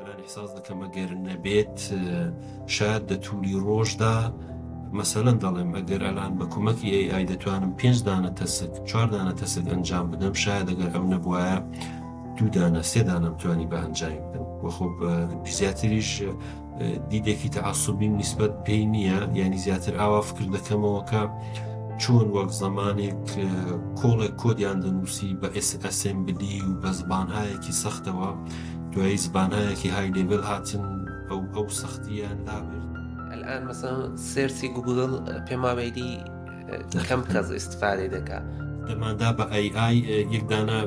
ئەلان ئیحساس دەکەم ئەگەر نەبێت شایەد دە توولی ڕۆژدا مەسەلەن دەڵێم ئەگەر ئەلان بە کومەکی ئەی ئای دەتوانم پێنج دانە task چوار دانە task ئەنجام بدەم شایەد ئەگەر ئەو نەبوایە دوو دانە سێ دانەم توانی بە ئەنجامی بدەم وە خۆ زیاتریش دیدێکی تەعەسوبیم نیسبەت پێی نییە یعنی زیاتر ئاوا فکر دەکەمەوە کە چۆن وەک زەمانێک کۆڵێک کۆدیان دەنووسی بە assembly و بە زبانهایەکی سەختەوە دوایی زبانهایەکی high level هاتن ئەو ئەو سەختیان لابرد. الان مثلا search ی گوگل پێم وابێ کەم کەس ئیستفادەی دەکا. دەماندا بە ئەی ئای یەک دانە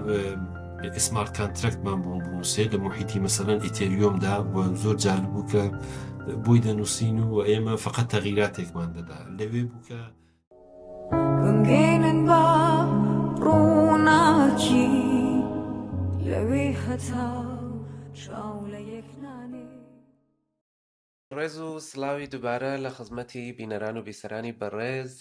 smart contract مان بۆ بنووسێ لە موحیتی مەسەلەن ئیتێریۆمدا و زۆر جالب بوو کە بۆی دەنووسین و ئێمە فقط تەغیراتێکمان دەدا لەوێ بوو کە بمگەینن بە ڕووناکی لەوێ هەتا چاو لە یەک نانێ. ڕێز و سڵاوی دووبارە لە خزمەتی بینەران و بیسەرانی بەڕێز،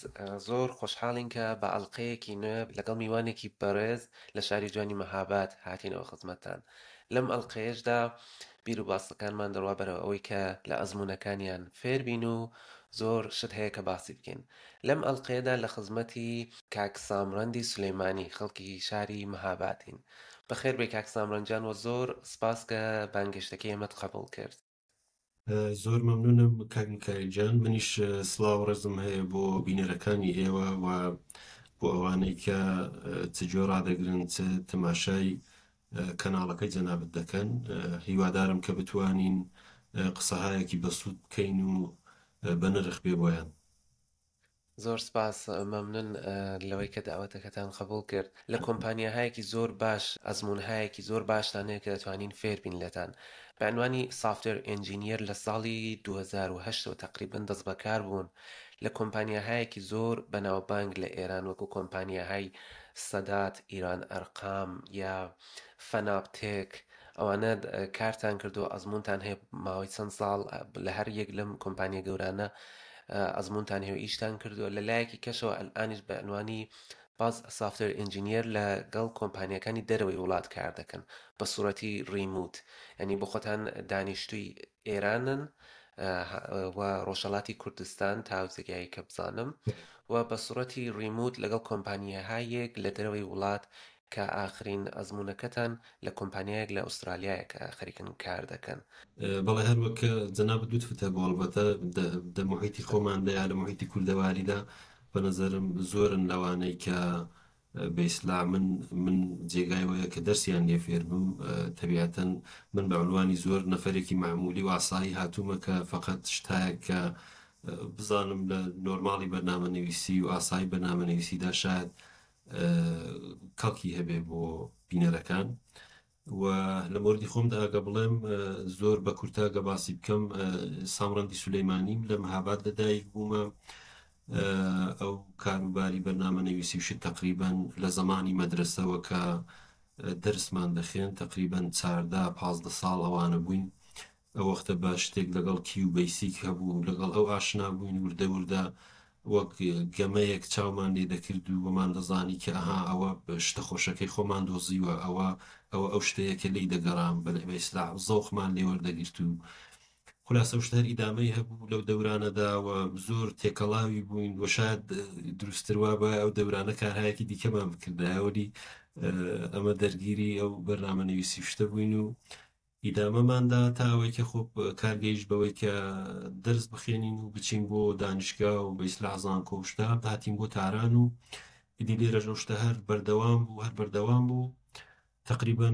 زۆر خۆشحاڵین کە بە ئەڵقەیەکی نوێ لەگەڵ میوانێکی بەڕێز لە شاری جوانی مەهاباد هاتینەوە خزمەتتان. لەم ئەڵقەیەشدا بیر و باسەکانمان دەڕوا بەرەو ئەوەی کە لە ئەزموونەکانیان فێر بین و زۆر شت هەیە کە باسی بکەین. لەم ئەڵقەیەدا لە خزمەتی کاک سامرەندی سولەیمانی خەڵکی شاری مەهابادین. بەخێر بێی کاک سامرەند جان و زۆر سپاس کە بانگهێشتەکەی ئێمەت قەبووڵ کرد. زۆر مەمنونم کاک میکایل گیان منیش سڵاو و ڕێزم هەیە بۆ بینەرەکانی ئێوە و بۆ ئەوانەی کە چ گوێ ڕادەگرن چ تەماشای کەناڵەکەی جەنابت دەکەن هیوادارم کە بتوانین قسەهایەکی بەسوود بکەین و بەنرخ بێ بۆیان. زۆر سپاس مەمنون لەوەی کە داوەتەکەتان قبوڵ کرد لە کۆمپانیاهایەکی زۆر باش ئەزموونهایەکی زۆر باشتان هەیە کە دەتوانین فێر بین لێتان بە عنوانی software engineer لە ساڵی 2008 ەوە تەقریبەن دەستبەکار بوون لە کۆمپانیاهایەکی زۆر بەناوبانگ لە ئێران وەکو کۆمپانیاهای سەدات ئیران ئەرقام یا فەناپتێک ئەوانە کارتان کردووە ئەزموونتان هەیە ماوەی چەند ساڵ لە هەر یەک لەم کۆمپانیا گەورانە ئەزموونتان هەیە و ئیشتان کردووە لە لایەکی کەشەوە ئەلئانیش بە عنوانی باز software engineer لەگەڵ کۆمپانیەکانی دەرەوەی وڵات کار دەکەن بە سوڕەتی remote یعنی بۆ خۆتان دانیشتووی ئێرانن و ڕۆژهەڵاتی کوردستان تا جێگای کە بزانم و بە سوڕەتی remote لەگەڵ کۆمپانیاهایەک لە دەرەوەی وڵات کە ئاخرین ئەزموونەکەتان لە کۆمپانیایەک لە ئوسترالیایە کە خەریکن کار دەکەن. بەڵێ هەر وەک کە جەنابت لوتفت هەبوو ئەڵبەتە دە موحیتی خۆماندا یا لە موحیتی کوردەواریدا بە نەزەرم زۆرن لەوانەی کە بە ئیسلاح من من جێگای وەیە کە دەرسیان لێ فێر بم تەبیعەتەن من بە عنوانی زۆر نەفەرێکی مەعمولی و ئاسایی هاتوومە کە فەقەت شتایەک کە بزانم لە نۆرماڵی بەرنامەنویسی و ئاسایی بەرنامەنویسیدا شاید کەڵکی هەبێ بۆ بینەرەکان و لە مۆردی خۆمدا ئەگە بڵێم زۆر بە کورتە گە باسی بکەم سامڕەندی سولەیمانیم لە مەهاباد لەدایک بوومە ئەو کاروباری بەرنامە نەویسی و شت تقریبا لە زەمانی مەدرسەوە کە دەرسمان دەخێن تقریبا 14 15 ساڵ ئەوانە بووین ئەو وەختە بە شتێک لەگەڵ QBasic هەبوو، لەگەڵ ئەو ئاشنا بووین، وردە وردە وەک گەمەیەک چاومان لێ دەکرد و وەمان دەزانی کە ئەها ئەوە شتە خۆشەکەی خۆمان دۆزیوە، ئەوە ئەوە ئەو شتەیە کە لێی دەگەڕام، بە ئیسلاح زەوقمان لێ وەردەگرت و خولاسە ئەو شتە هەر ئیدامەی هەبوو لەو دەورانەدا و زۆر تێکەڵاوی بووین و شاید دروستتر وابایە ئەو دەورانە کارهایەکی دیکەمان بکردایە، وەلی ئەمە دەرگیری ئەو بەرنامەنویسی و شتە بووین و ئیدامەمان دا تا ئەوەی کە خۆ کار گەیشت بەوەی کە دەرس بخێنین و بچین بۆ دانیشگا و بە ئیسلاح زانکۆ و شتە هاتین بۆ تاران و ئیدی لێرەش ئەو شتە هەر بەردەوام بوو هەر بەردەوام بوو تقریبا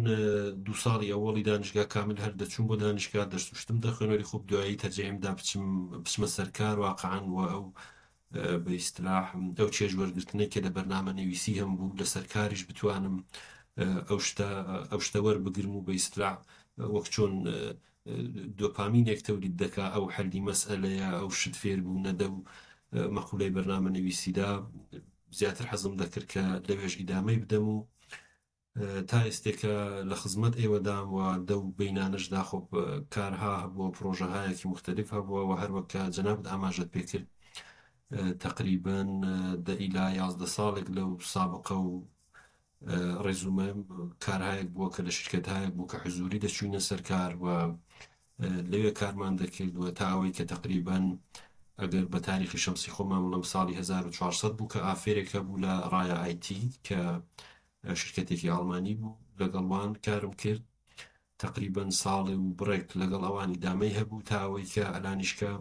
دوو ساڵی ئەوەڵی دانیشگا کامل هەر دەچووم بۆ دانیشگا دەرس و شتم دەخوێن وەلی خۆ دوایی تەرجیحم دا بچم بچمە سەر کار واقعا و ئەو بە ئیستلاح ئەو چێژ وەرگرتنەی کە لە بەرنامە نویسی هەم بوو لەسەر کاریش بتوانم ئەو شتە ئەو شتە وەربگرم و بە ئیستلاح وەک چۆن دۆپامینێک تەولید دەکا ئەو حەلی مەسئەلەیە ئەو شت فێربوونە دە و مەقولەی بەرنامە نویسیدا زیاتر حەزم دەکرد کە لەوێش ئیدامەی بدەم و تا ئێستێکە لە خزمەت ئێوەدام و دەو بەینانەشدا خۆ کارها هەبووە پرۆژەهایەکی موختەلیف هەبووە و هەروەک کە جەنابت ئاماژەت پێ کرد تەقریبەن دە ئیلا 11 ساڵێک لەو سابقە و ڕێزومە کارهایەک بووە کە لە شرکەتهایەک بوو کە حزوری دەچوینە سەر کار و. لەوێ کارمان دەکرد و تا ئەوەی کە تەقریبەن ئەگەر بە تاریخی شەمسی خۆمان بڵێم ساڵی 1400 بوو کە offer ێک هەبوو لە ڕایا ئایتی کە شرکەتێکی ئاڵمانی بوو لەگەڵ وان کارم کرد تەقریبەن ساڵێ و بڕێک لەگەڵ ئەوان ئیدامەی هەبوو تا ئەوەی کە ئەلانیشکە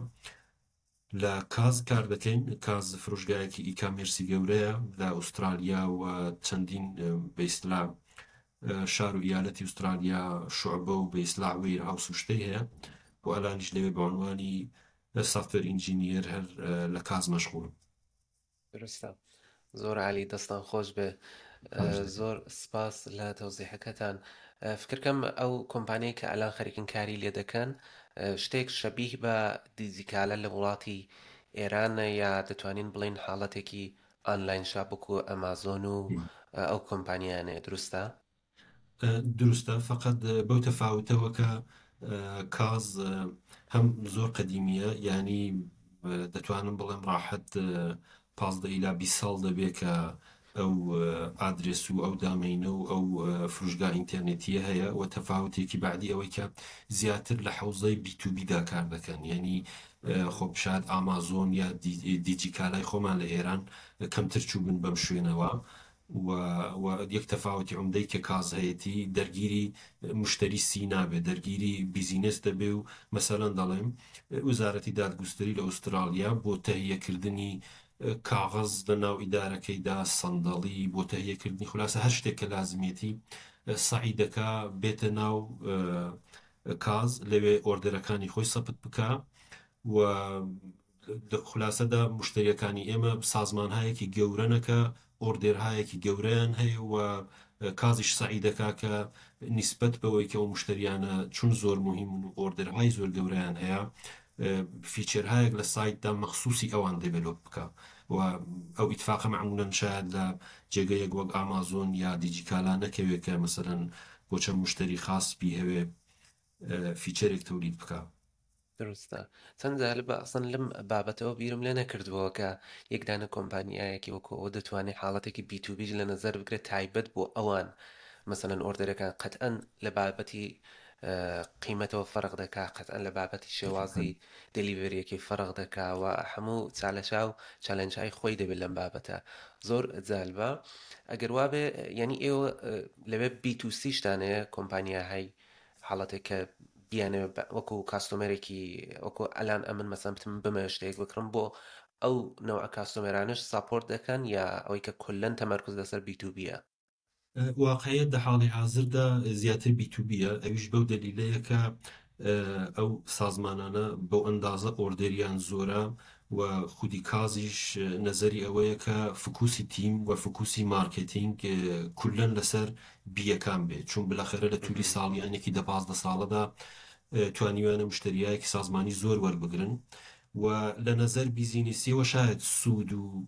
لە کاز کار دەکەین، کاز فرۆشگایەکی e-commerce ی گەورەیە لە ئوسترالیا و چەندین بە ئیستلا شار و ئیالەتی ئوسترالیا شوعبە و بە ئیستلا warehouse و شتەی هەیە و ئەلانیش لەوێ بە عنوانی software engineer هەر لە کاز مەشغوڵم. دروستە زۆر عالی دەستان خۆش بێ زۆر سپاس لە تەوزیحەکەتان فکرکەم ئەو کۆمپانیای کە ئەلان خەریکن کاری لێ دەکەن شتێک شەبیه بە دیجیکالە لە وڵاتی ئێران یا دەتوانین بڵین حاڵەتێکی online shop وەکو ئەمازۆن و ئەو کۆمپانیانەیە دروستە؟ دروستە فەقەت بەو تەفاوتەوە کە کاز هەم زۆر قەدیمیە یانی دەتوانم بڵێم ڕاحەت 15 ئیلا 20 ساڵ دەبێ کە ئەو ئادرێس و ئەو domain ە و ئەو فروشگا ئینتەرنێتیە هەیە و تەفاوتێکی بەعدی ئەوەی کە زیاتر لە حەوزەی B to B دا کار دەکەن یعنی خۆ شاید ئامازۆن یا دیجیکالای خۆمان لە ئێران کەمتر چووبن بەم شوێنەوە و و یەک تەفاوتی عومدەی کە کاز هەیەتی دەرگیری مشتەری C نابێ دەرگیری business دەبێ و مەسەلەن دەڵێم وزارەتی دادگوستری لە ئوستراڵیا بۆ تەهیەکردنی کاغەز لە ناو ئیدارەکەیدا سەندەڵی بۆ تەهیەکردنی خولاسە هەر شتێک کە لازمیەتی سەعی دەکا بێتە ناو کاز لەوێ order ەکانی خۆی سەبت بکا و لە خولاسەدا مشتەریەکانی ئێمە سازمانهایەکی گەورەنە کە order هایەکی گەورەیان هەیە و کازیش سەعی دەکا کە نیسبەت بەوەی کە ئەو مشتەریانە چون زۆر موهیمن و order های زۆر گەورەیان هەیە feature هایەک لە سایتدا مەخسوسی ئەوان develop بکا و ئەو ئیتفاقە مەعمولەن شاید لە جێگەیەک وەک ئامازۆن یا دیجیکالا نەکەوێ کە مەسەلەن بۆ چەند مشتەری خاص بیهەوێ feature ێک تەولید بکا. دروستە چەند جالبە ئەسڵەن لەم بابەتەوە بیرم لێ نەکردبووە کە یەک دانە کۆمپانیایەکی وەکو ئەوە دەتوانێت حاڵەتێکی B to B یش لە نەزەر بگرێت تایبەت بۆ ئەوان مەسەلەن order ەکان قەتئەن لە بابەتی قیمەتەوە فەرق دەکا قەتئەن لە بابەتی شێوازی delivery یەکەی فەرق دەکا و هەموو چالەشا و challenge های خۆی دەبێت لەم بابەتە زۆر جالبە ئەگەر وابێ یعنی ئێوە لەوێ B to C شتان هەیە کۆمپانیاهای حاڵەتێک کە بیانەوێ وەکو customer ێکی وەکو ئەلان ئەمن مەسەن بتم بمەوێ شتێک بکڕم بۆ ئەو نەوعە customer انەش support دەکەن یا ئەوەی کە کولەن تەمەرکز لەسەر B to B یە؟ واقعیەت دە حاڵی حازردا زیاتر B to B یە ئەویش بەو دەلیلەیە کە ئەو سازمانانە بەو ئەندازە order یان زۆرە و خودی کازیش نەزەری ئەوەیە کە focus ی تیم و focus ی marketing کولەن لەسەر B یەکان بێ چون بلاخەرە لە تولی ساڵیانێکی دە 15 ساڵەدا توانیویانە مشتریایەکی سازمانی زۆر وەربگرن و لە نەزەر بیزینیسیەوە شاید سوود و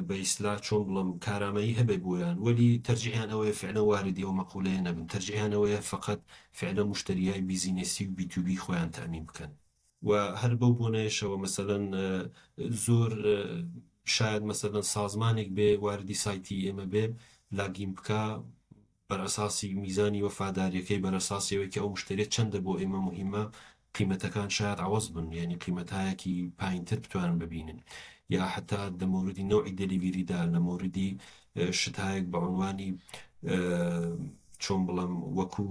بە ئیسلا چۆن بڵم کارامەیی هەبێ بۆیان وەلی تەرجیحیان ئەوەیە فعلا واردی ئەو مەقولەیە نەبن تەرجیحیان ئەوەیە فقط فعلا مشتریای بیزینسی و B to B خۆیان تەئمین بکەن. و هەر بەو بۆنەیەشەوە مەسەلەن زۆر شاید مەسەلەن سازمانێک بێ واردی سایتی ئێمە بێ login بکا بەرئەساسی میزانی وەفاداریەکەی بەرئەساسی ئەوەی کە ئەو مشتەریە چەندە بۆ ئێمە موهیمە قیمەتەکان شاید عەوەز بن یانی قیمەتایەکی پاینتر بتوانن ببینن یا حتا دە مەوردی نەوعی delivery دا لە مەوردی شتهایەک بە عنوانی چۆن بڵێم وەکو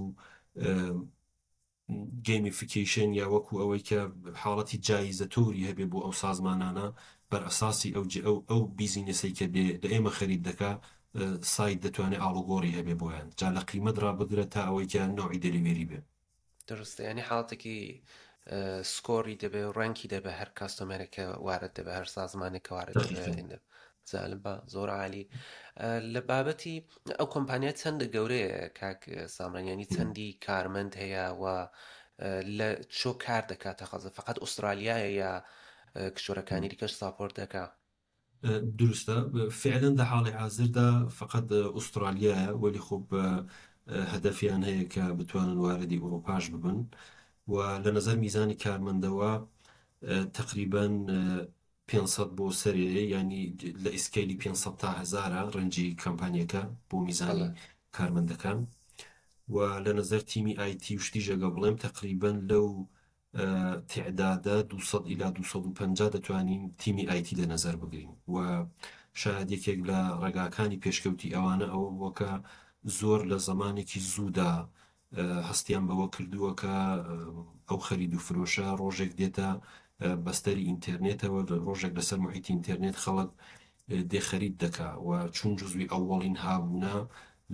gamification یا وەکو ئەوەی کە حاڵەتی جایزە تۆری هەبێ بۆ ئەو سازمانانە بەر ئەساسی ئەو ئەو ئەو بیزینسەی کە دێ لە ئێمە خەرید دەکا سایت دەتوانێ ئاڵوگۆڕی هەبێ بۆیان جا لە قیمەت ڕا بگرە تا ئەوەی کە نەوعی delivery بێ. دروستە یانی حاڵەتێکی score ی دەبێ و rank ی دەبێ هەر customer ێک کە وارد دەبێ هەر سازمانێک کە وارد دەبێ دەقیقەن. جالبە زۆر عالی لە بابەتی ئەو کۆمپانیا چەندە گەورەیە کاک سامران یعنی چەندی کارمەند هەیە و لە چۆ کار دەکات تەخەزە فقط ئوسترالیایە یا کشوەرەکانی دیکەش support دەکا؟ دروستە فعلا دە حاڵی حازردا فقط ئوسترالیایە وەلی خۆ هەدەفیان هەیە کە بتوانن واردی ئوروپاش ببن و لە نەزەر میزانی کارمەندەوە تەقریبەن 500 بۆ سەرێ یانی لە scale ی 500 تا هەزارە range ی کەمپانیەکە بۆ میزانی بەڵێ. کارمەندەکان و لە نەزەر تیمی IT و شتیش ئەگە بڵێم تەقریبەن لەو تعدادە 200 ئیلا 250 دەتوانین تیمی ئایتی لە نەزەر بگرین و شاید یەکێک لە ڕێگاکانی پێشکەوتی ئەوانە ئەوە بووە کە زۆر لە زەمانێکی زوودا هەستیان بەوە کردووە کە ئەو خەرید و فرۆشە ڕۆژێک دێتە بەستەری ئینتێرنێتەوە، ڕۆژێک لەسەر موحیتی ئینتێرنێت خەڵک دێ خەرید دەکا و چون جزوی ئەوەڵین هابوونە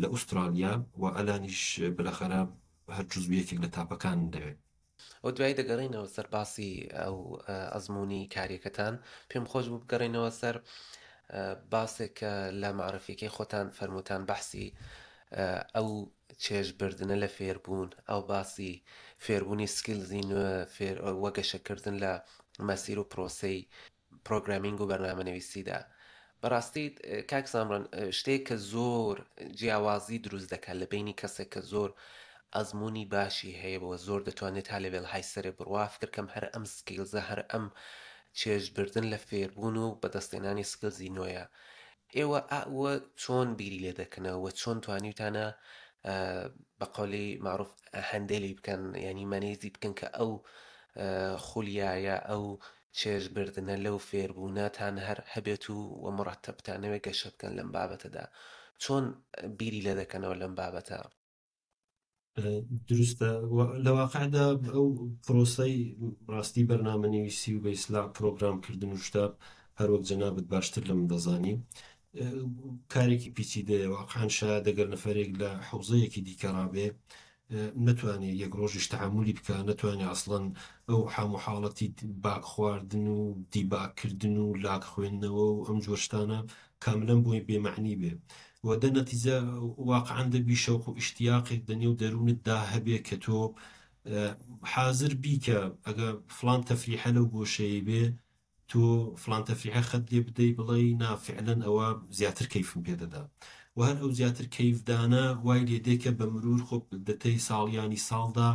لە ئوسترالیا و ئەلانیش بلەخەرە هەر جزوی یەکێک لە تاپەکانن لەوێ. ئەو دوایی دەگەڕێینەوە سەر باسی ئەو ئەزموونی کاریەکەتان، پێم خۆش بوو بگەڕێینەوە سەر باسێک کە لە مەعرفیەکەی خۆتان فەرمووتان بەحسی ئەو چێژ بردنە لە فێربوون، ئەو باسی فێربوونی skills ی نوێ، فێر وە گەشەکردن لە مەسیر و پرۆسەی programming و بەرنامەنویسیدا. بەڕاستی کاک سامران شتێک کە زۆر جیاوازی دروست دەکات لە بینی کەسێک کە زۆر ئەزمموی باشی هەیە بۆ زۆر دەتوانێت تا level های سەرێ بڕوا فکرکەم هەر ئەم skills ە هەر ئەم چێژبردن لە فێربوون و بەدەستێنانی skills ی نوێیە ئێوە ئەوە چۆن بیری لێ دەکەنەوە و چۆن توانیوتانە بە قەولی مەعروف handle ی بکەن یانی manage ی بکەن کە ئەو خولیایە ئەو چێژ بردنە لەو فێربوونەتان هەر هەبێت و و مڕەتەب بتانەوێت گەشە بکەن لەم بابەتەدا چۆن بیری لێ دەکەنەوە لەم بابەتە؟ دروستە لە واقعدا ئەو پرۆسەی ڕاستی بەرنامەنویسی و بە ئیسلا پرۆگرامکردن و شتە هەروەک جەنابت باشتر لە من دەزانی کارێکی پیچیدەیە واقعا شاید ئەگەر نەفەرێک لە حوزەیەکی دیکە ڕابێ نەتوانێ یەک ڕۆژیش تەحەمولی بکا نەتوانێ ئەسڵەن ئەو حام و حاڵەتی bug خواردن و debug کردن و log خوێندنەوە و ئەم جۆر شتانە کاملەن بۆی بێ مەعنی بێ و دە نەتیجە واقعەن دەبی شەوق و ئیشتیاقێک دە نێو دەروونت دا هەبێ کە تۆ حازر بی کە ئەگە فڵان تەفریحە لەو گۆشەیەی بێ تۆ فڵان تەفریحە خەت لێ بدەی بڵێی نا فعلەن ئەوە زیاتر کەیفم پێ دەدا و هەر ئەو زیاتر کەیف دانە وای لێ دێ کە بە مرور خۆ دەتەی ساڵیانی ساڵدا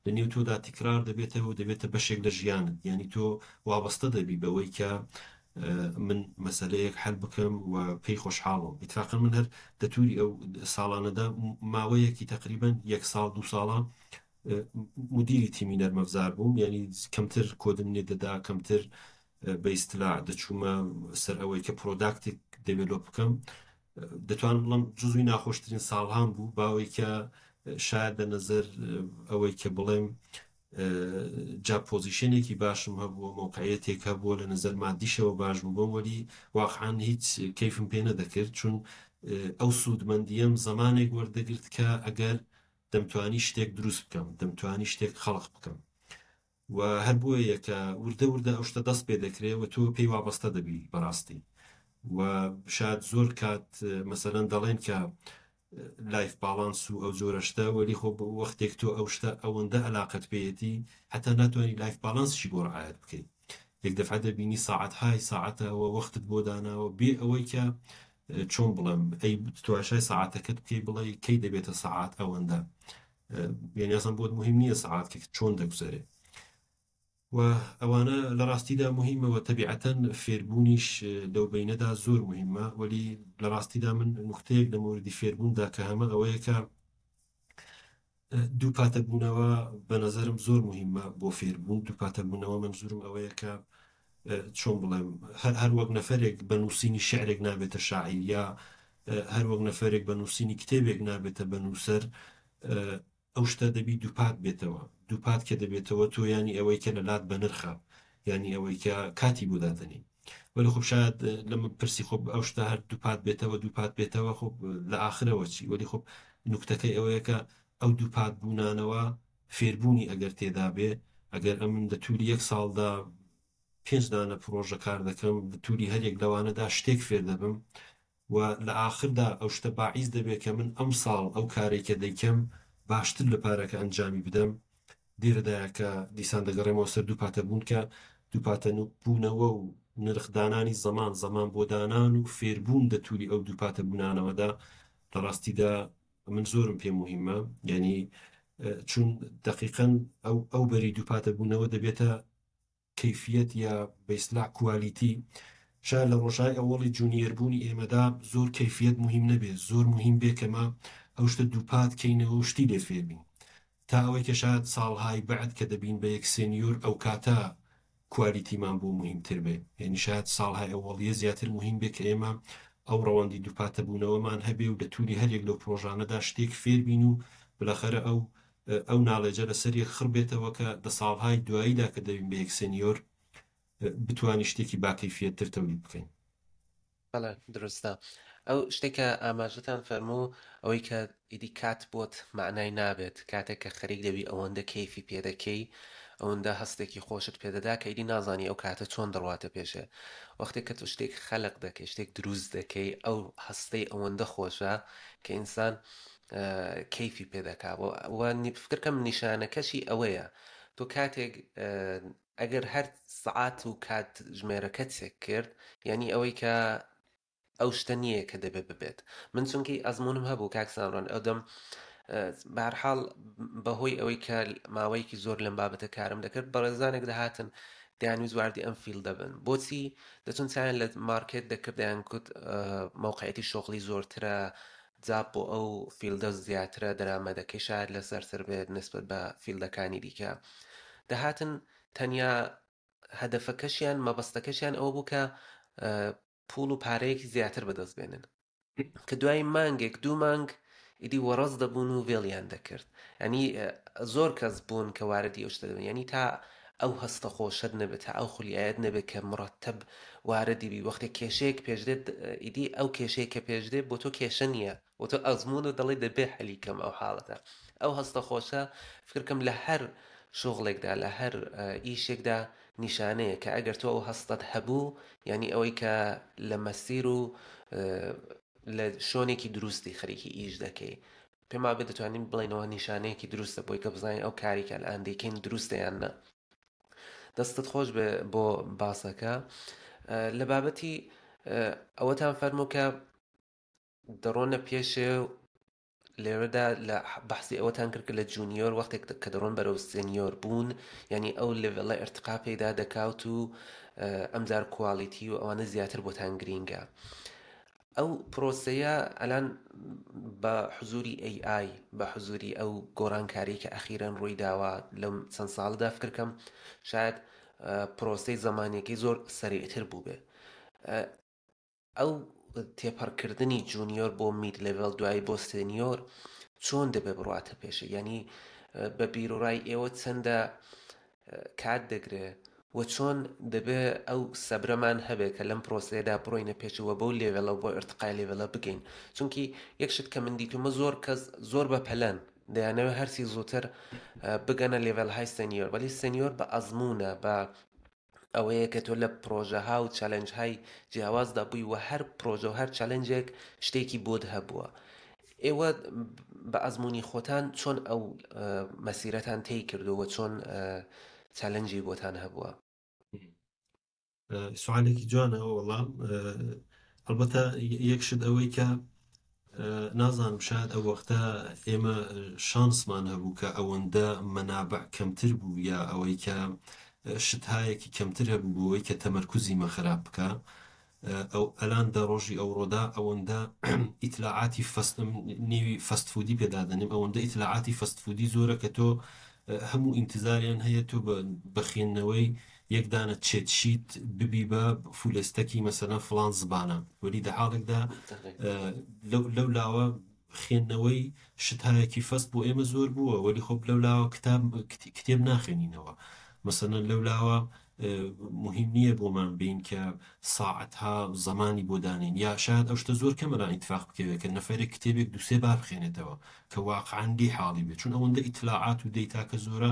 لە نێو تۆدا تکرار دەبێتەوە و دەبێتە بەشێک لە ژیانت یانی تۆ وابەستە دەبی بەوەی کە من مەسەلەیەک حەل بکەم و پێی خۆشحاڵم ئیتفاقەن من هەر دە توری ئەو ساڵانەدا ماوەیەکی تەقریبەن یەک ساڵ دوو ساڵە مدیری تیمی نەرمەفزار بووم یعنی کەمتر کۆدم لێ دەدا کەمتر بە ئیستلاع دەچوومە سەر ئەوەی کە product ێک develop بکەم دەتوانم بڵم جزوی ناخۆشترین ساڵهام بوو باوەی کە شاید لە نظر ئەوەی کە بڵێم جا position ێکی باشم هەبووە مەوقعیەتێک هەبووە لە نظر مادیشەوە باش بوو بۆم وەلی واقعا هیچ کەیفم پێ نەدەکرد چون ئەو سوودمەندیم زمانێک وەردەگرت کە ئەگەر دەمتوانی شتێک دروست بکەم، دەمتوانی شتێک خەڵق بکەم و هەر بۆیە کە وردە وردە ئەو شتە دەست پێ دەکرێ و تۆ پێی وابەستە دەبی بەڕاستی و شاید زۆر کات مەسەلەن دەڵێن کە life balance و ئەو جۆرە شتە وەلی خۆ وەختێک تۆ ئەو شتە ئەوەندە ئەلاقەت پێیەتی حتا ناتوانانی life balance شی بۆ ڕعایەت بکەیت یەک دەفعە دەبینی ساعەتهای ساعەتە و وەختت بۆ داناوە بێ ئەوەی کە چۆن بڵێم ئەی تواشای سەعاتەکەت بکەی بڵێ کەی دەبێتە سەعات ئەوەندە یعنی ئەسڵەن بۆت مهم نییە سەعات کە چۆن دەگوزەرێ و ئەوانە لە ڕاستیدا مهمە و تەبیعەتەن فێربوونیش لەو بینەدا زۆر مهمە وەلی لە ڕاستیدا من نوختەیەک لە مۆردی فێربووندا کە هەمە ئەوەیە کە دووپاتە بوونەوە بە نەزەرم زۆر موهیمە بۆ فێربوون، دووپاتە بوونەوە مەنزوورم ئەوەیە کە چۆن بڵێم هەر هەر وەک نەفەرێک بە نووسینی شعرێک نابێتە شاعیر یا هەر وەک نەفەرێک بە نووسینی کتێبێک نابێتە بە نووسەر ئەو شتە دەبی دووپات بێتەوە دووپات کە دەبێتەوە تۆ یانی ئەوەی کە لە لات بەنرخە یانی ئەوەی کە کاتی بۆ دادەنی وەلی خۆ شاید لە من پرسی خۆ ئەو شتە هەر دووپات بێتەوە دووپات بێتەوە خۆ لە ئاخرەوە چی وەلی خۆ نوکتەکەی ئەوەیە کە ئەو دووپات بوونانەوە فێربوونی ئەگەر تێدا بێ ئەگەر ئەمن لە تووری یەک ساڵدا پێنج دانە پرۆژە کار دەکەم لە تووری هەر یەک لەوانەدا شتێک فێر دەبم و لە ئاخردا ئەو شتە باعیس دەبێت کە من ئەمساڵ ئەو کارەی کە دەیکەم باشتر لە پارەکە ئەنجامی بدەم لێرەدایە کە دیسان دەگەڕێمەوە سەر دووپاتەبوون کە دووپاتەبوونەوە و نرخدانانی زەمان، زەمان بۆ دانان و فێربوون دە تووری ئەو دووپاتەبوونانەوەدا لە ڕاستیدا من زۆرم پێ موهیمە یانی چون دەقیقەن ئەو ئەو بەری دووپاتەبوونەوە دەبێتە کەیفیەت یا بە ئیستلاح quality شاید لە ڕۆژای ئەوەڵی junior بوونی ئێمەدا زۆر کەیفیەت موهیم نەبێ زۆر موهیم بێ کە مە ئەو شتە دووپات کەینەوە و شتی لێ فێر بین. تا ئەوەی کە شایەد ساڵهای بەعد کە دەبین بە یەک senior ئەو کاتە quality مان بۆ موهیمتر بێ یانی شایەد ساڵهای ئەوەڵیە زیاتر موهیم بێ کە ئێمە ئەو ڕەوەندی دووپاتەبوونەوەمان هەبێ و لە توری هەر یەک لەو پرۆژانەدا شتێک فێر بین و بلاخەرە ئەو ئەو knowledge ە لەسەر یەک خڕ بێتەوە کە دە ساڵهای دواییدا کە دەبین بە یەک senior بتوانین شتێکی باکەیفیەتتر تەولید بکەین. بەڵێ دروستە. ئەو شتێک کە ئاماژەتان فەرموو ئەوەی کە ئیدی کات بۆت مەعنای نابێت کاتێک کە خەریک دەبی ئەوەندە کەیفی پێ دەکەی ئەوەندە هەستێکی خۆشت پێدەدا کە ئیدی نازانی ئەو کاتە چۆن دەڕواتە پێشێ وەختێک کە تۆ شتێک خەلق دەکەی شتێک دروست دەکەی ئەو هەستەی ئەوەندە خۆشە کە ئینسان کەیفی پێ دەکا و فکرکەم نیشانەکەشی ئەوەیە تۆ کاتێک ئەگەر هەر سەعات و کات ژمێرەکەت چێک کرد یانی ئەوەی کە ئەو شتە نییە کە دەبێت ببێت من چونکی ئەزمونم هەبوو کاک سامران ئەو دەم بەهەرحاڵ بەهۆی ئەوەی کە ماوەیەکی زۆر لەم بابەتە کارم دەکرد بەڕێزانێک دەهاتن دەیانویست واردی ئەم field دەبن بۆچی دەچون چیان لە market دەکرد دەیان کوت مەوقعەتی شغلی زۆرترە job بۆ ئەو field ە زیاترە دەرامەدەکەی شاید لەسەرتر بێت نسبەت بە field ەکانی دیکە دەهاتن تەنیا هەدەفەکەشیان مەبەستەکەشیان ئەوە بوو کە پوڵ و پارەیەکی زیاتر بەدەست بێنن کە دوای مانگێک دوو مانگ ئیدی وەڕەز دەبوون و وێڵیان دەکرد ینی زۆر کەس بوون کە واردی ئەو شتە دەبن ینی تا ئەو هەستە خۆشەت نەبێت تا ئەو خولیایەت نەبێت کە مڕەتەب واردی بی وەختێک کێشەیەک پێش دێت ئیدی ئەو کێشەیە کە پێش دێت بۆ تۆ کێشە نییە بۆ تۆ ئەزموون و دەڵێ دەبێ حەلی کەم ئەو حاڵەتە ئەو هەستە خۆشە فکرکەم لە هەر شغڵێکدا لە هەر ئیشێکدا نیشانەیە کە ئەگەر تۆ ئەو هەستەت هەبوو یعنی ئەوەی کە لە مەسیر و لە شۆنێکی دروستی خەریکی ئیش دەکەی پێم وابێ دەتوانین بڵێینەوە نیشانەیەکی دروستە بۆی کە بزانین ئەو کاری کە الان دەیکەین دروستە یان نا. دەستت خۆش بێ بۆ باسەکە. لە بابەتی ئەوەتان فەرموو کە دەڕۆنە پێشێ و لێرەدا لە بەحسی ئەوەتان کرد کە لە junior وەختێک کە دەڕۆن بەرەو senior بوون یعنی ئەو level ە ئرتقا پەیدا دەکات و ئەمجار quality و ئەوانە زیاتر بۆتان گرینگە. ئەو پرۆسەیە ئەلان بە حزوری AI بە حزوری ئەو گۆڕانکاری کە ئەخیرەن ڕووی داوە لەم چەند ساڵەدا فکرکەم شاید پرۆسەی زەمانیەکەی زۆر سەریعتر بووبێ ئەو تێپەڕکردنی junior بۆ mid level دوایی بۆ senior چۆن دەبێ بڕاتە پێشە یعنی بە بیرۆڕای ئێوە چەندە کات دەگرێ و چۆن دەبێ ئەو سەبرەمان هەبێ کە لەم پرۆسەیەدا بڕۆینە پێشەوە بەو level ە و بۆ ئرتقای level ە بگەین چونکی یەک شت کە من دیتومە زۆر کەس زۆر بە پەلەن دەیانەوێت هەرسی زووتر بگەنە level های senior وەلی senior بە ئەزمونە بە ئەوەیە کە تۆ لە پرۆژەها و challenge های جیاوازدا بووی و هەر پرۆژە و هەر challenge ێک شتێکی بۆت هەبووە ئێوە بە ئەزموونی خۆتان چۆن ئەو مەسیرەتان تێی کردووە چۆن challenge ی بۆتان هەبووە؟ سوالێکی جوانە وەڵام ئەلبەتە یەک شت ئەوەی کە نازانم شاید ئەو وەختە ئێمە شانسمان هەبوو کە ئەوەندە مەنابع کەمتر بوو یا ئەوەی کە شتهایەکی کەمتر هەبوو بۆ ئەوەی کە تەمەرکوزی مە خراپ بکە ئەو ئەلان دە ڕۆژی ئەوڕۆدا ئەوەندە ئیتلاعاتی fast نێوی fast food ی پێ دادەنێم ئەوەندە ئیتلاعاتی fast food ی زۆرە کە تۆ هەموو ئینتزاریان هەیە تۆ بە خوێندنەوەی یەک دانە cheat sheet ببی بە full stack ی مەسەلەن فڵان زبانە وەلی دە حاڵێکدا لەو لاوە خوێندنەوەی شتهایەکی fast بۆ ئێمە زۆر بووە وەلی خۆ لەو لاوە کتاب کتێب ناخوێنینەوە مەسەلەن لەو لاوە موهیم نییە بۆمان بین کە ساعەتها زەمانی بۆ دانێین یا شایەد ئەو شتە زۆر کەمە لان ئیتفاق بکەوێت کە نەفەرێک کتێبێک دوو سێ بار بخوێنێتەوە کە واقعەن لێی حاڵی بێت چون ئەوەندە ئیتلاعات و دەیتاکە زۆرە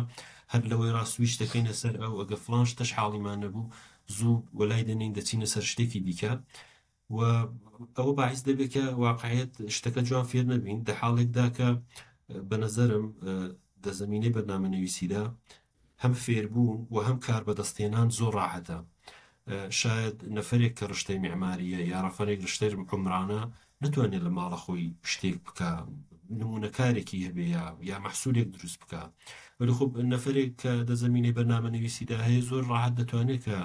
هەر لەوەی ڕا سویچ دەکەینە سەر ئەو ئەگە فڵان شتەش حاڵیمان نەبوو زوو وەلای دەنێین دەچینە سەر شتێکی دیکە و ئەوە باعیس دەبێت کە واقعیت شتەکە جوان فێر نەبین دە حاڵێکدا کە بە نەزەرم دە زەمینەی بەرنامەنەویسیدا هەم فێربوون و هەم کار بەدەستهێنان زۆر ڕاحەتە شاید نەفەرێک کە ڕشتەی میعماریە یا ڕەفەرێک ڕشتەی عومرانە نتوانێت لە ماڵە خۆی شتێک بکە نمونەکارێکی هەبێ یا یا مەحسولێک دروست بکە وەلی خۆ نەفەرێک کە دە زەمینەی بەرنامە نویسیدا هەیە زۆر ڕاحەت دەتوانێت کە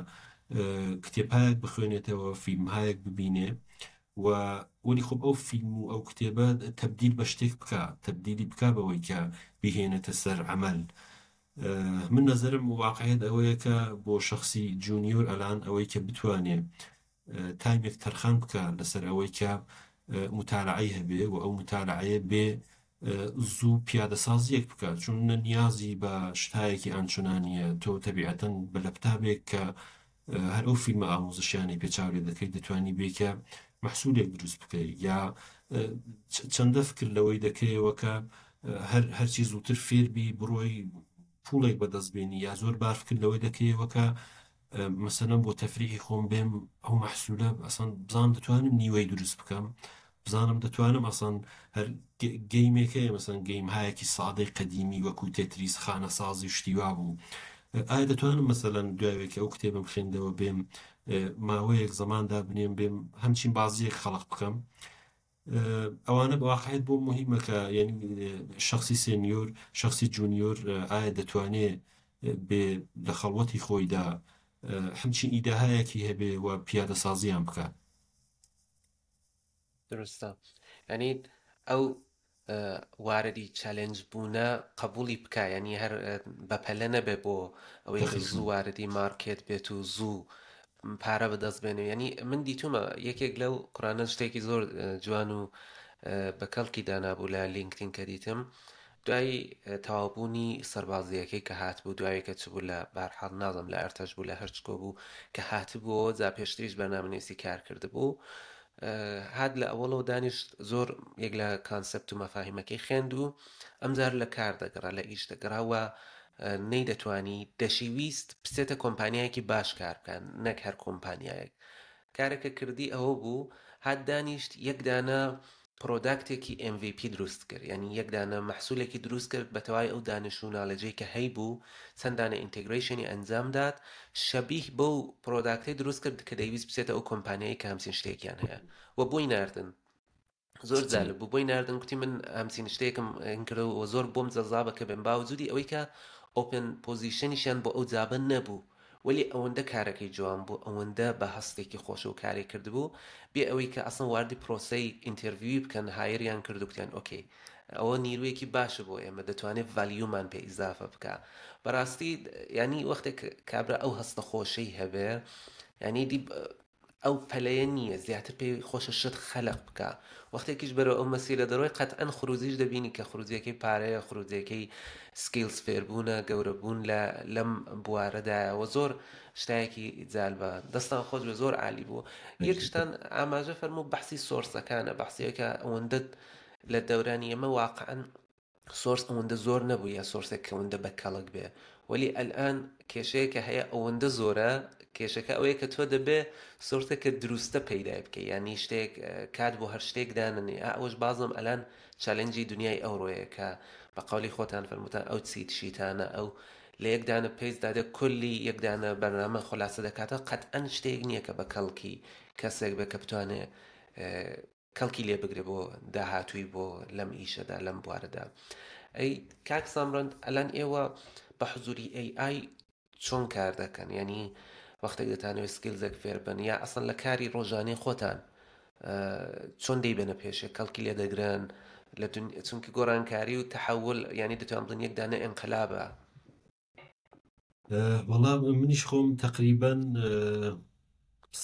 کتێبهایەک بخوێنێتەوە فیلمهایەک ببینێ. و وەلی خۆ ئەو فیلم و ئەو کتێبە تەبدیل بە شتێک بکا، تەبدیلی بکا بەوەی کە بیهێنێتە سەر عەمەل. من نەزەرم واقعیەت ئەوەیە کە بۆ شەخسی junior ئەلان ئەوەی کە بتوانێ time ێک تەرخان بکا لەسەر ئەوەی کە موتالعەی هەبێ و ئەو موتالعەیە بێ زوو پیادەسازیەک بکا، چون نە نیازی بە شتایەکی ئانچنانیە، تۆ تەبیعەتەن بە لەپتابێک کە هەر ئەو فیلمە ئاموزشیانەی پێ چاو لێ دەکەی دەتوانی بێ کە مەحسولێک دروست بکەی، یا چەندە فکر لەوەی دەکەیەوە کە هەر هەرچی زووتر فێر بی بڕۆی پوڵێک بەدەست بێنی، یا زۆر بار فکر لەوەی دەکەیەوە کە مەسەلەن بۆ تەفریحی خۆم بێم ئەو مەحسولە ئەسان بزانم دەتوانم نیوەی دروست بکەم، بزانم دەتوانم ئەسان هەر game ێک هەیە مەسەن game هایەکی سادەی قەدیمی وەکو تێتریس خانەسازی و شتی وا بوو، ئایا دەتوانم مەسەلەن دوایەکی ئەو کتێبم خوێندەوە بێم ماوەیەک زەمان دابنێم بێم هەمچین بازیەک خەڵق بکەم. ئەوانە بە واقعیت بۆ مهمە کە یعنی شخصی senior شخصی junior ئایا دەتوانێ بێ لە خەڵوەتی خۆیدا هەمچین ئیدەهایەکی هەبێ و پیادەسازیان بکات. دروستە، یعنی ئەو واردی challenge بوونە قبولی بکە، یعنی هەر بەپەلە نەبێ بۆ ئەوەی کە زوو واردی market بێت و زوو پارە بەدەست بێنێ. یعنی من دیتومە یەکێک لەو قڕانە شتێکی زۆر جوان و بە کەڵکی دانابوو لە لینکدین کە دیتم، دوای تەواوبوونی سەربازیەکەی کە هاتبوو، دوای کە چ بوو لە بارحاڵ نازم لە ئەرتەش بوو لە هەرچکۆ بوو کە هاتبووەوە، جا پێشتریش بەرنامەنووسی کار کردبوو، هات لە ئەوەڵەوە دانیشت زۆر یەک لە concept و مەفاهیمەکەی خوێند و ئەمجار لە کار دەگەڕا لە ئیش دەگەڕا و نەیدەتوانی دەشیویست بچێتە کۆمپانیایەکی باش کار بکات نەک هەر کۆمپانیایەک. کارەکە کردی ئەوە بوو هات دانیشت یەک دانە product ێکی MVP دروست کرد، یعنی یەک دانە مەحسولێکی دروست کرد بە تەواوی ئەو دانش و knowledge ەی کە هەیبوو، چەند دانە integration ی ئەنجام دات شەبیه بەو product ەی دروست کرد کە دەیویست بچێتە ئەو کۆمپانیایی کە هەمچین شتێکیان هەیە و بۆی ناردن. زۆر جالب بوو بۆی ناردن، گوتی من هەمچین شتێکم کرد و زۆر بۆم جەزابە کە بێم، باوجودی ئەوەی کە open position یشیان بۆ ئەو job ە نەبوو، وەلی ئەوەندە کارەکەی جوان بوو، ئەوەندە بە هەستێکی خۆش و کاری کردبوو بێ ئەوەی کە ئەسڵەن واردی پرۆسەی interview ی بکەن، hire یان کرد و گوتیان okay ئەوە نیرویەکی باشە بۆ ئێمە، دەتوانێت value مان پێ ئیزافە بکە. بەڕاستی ینی وەختێک کابرا ئەو هەستە خۆشەی هەبێ، ینی دی ئەو پەلەیە نییە، زیاتر پێی خۆشە شت خەلق بکە. وەختێکیش بەرەو ئەو مەسیرە دەڕۆی قەتعەن خروجیش دەبینی کە خروجیەکەی پارەیە، خروجیەکەی skills فێربوونە، گەورەبوون لە لەم بوارەدایە و زۆر شتایەکی جالبە. دەستان خۆش بێ، زۆر عالی بوو. یەک شتان ئاماژە فەرموو، بەحسی source ەکانە، بەحسیەکە ئەوەندە لە دەورانی ئێمە واقعا source ئەوەندە زۆر نەبوو یا source ێک کە ئەوەندە بە کەڵک بێ، وەلی ئەلئان کێشەیەکە هەیە ئەوەندە زۆرە. کێشەکە ئەوەیە کە تۆ دەبێ source ێک کە دروستە پەیدای بکەی، یعنی شتێک کات بۆ هەر شتێک داننی. ئەوەش بازم ئەلان challenge ی دنیای ئەوڕۆیە کە بە قەولی خۆتان فەرموتان ئەو cheat sheet انە، ئەو لە یەک دانە page دادە کلی یەک دانە بەرنامە خولاسە دەکاتەوە، قەتعەن شتێک نییە کە بە کەڵکی کەسێک بێ کە بتوانێ کەڵکی لێ بگرێ بۆ داهاتووی بۆ لەم ئیشەدا لەم بوارەدا. ئەی کاک سامرەند ئەلان ئێوە بە حزوری AI چۆن کار دەکەن؟ یعنی وەختێک دەتانەوێت skills ێک فێر بن یا ئەسڵەن لە کاری ڕۆژانەی خۆتان چۆن دەیبەنە پێشێ، کەڵکی لێ دەگرن لە چونکە گۆڕانکاری و تەحول یعنی دەتوان بڵێن یەک دانە ئینقلابە. وەڵا منیش خۆم تەقریبەن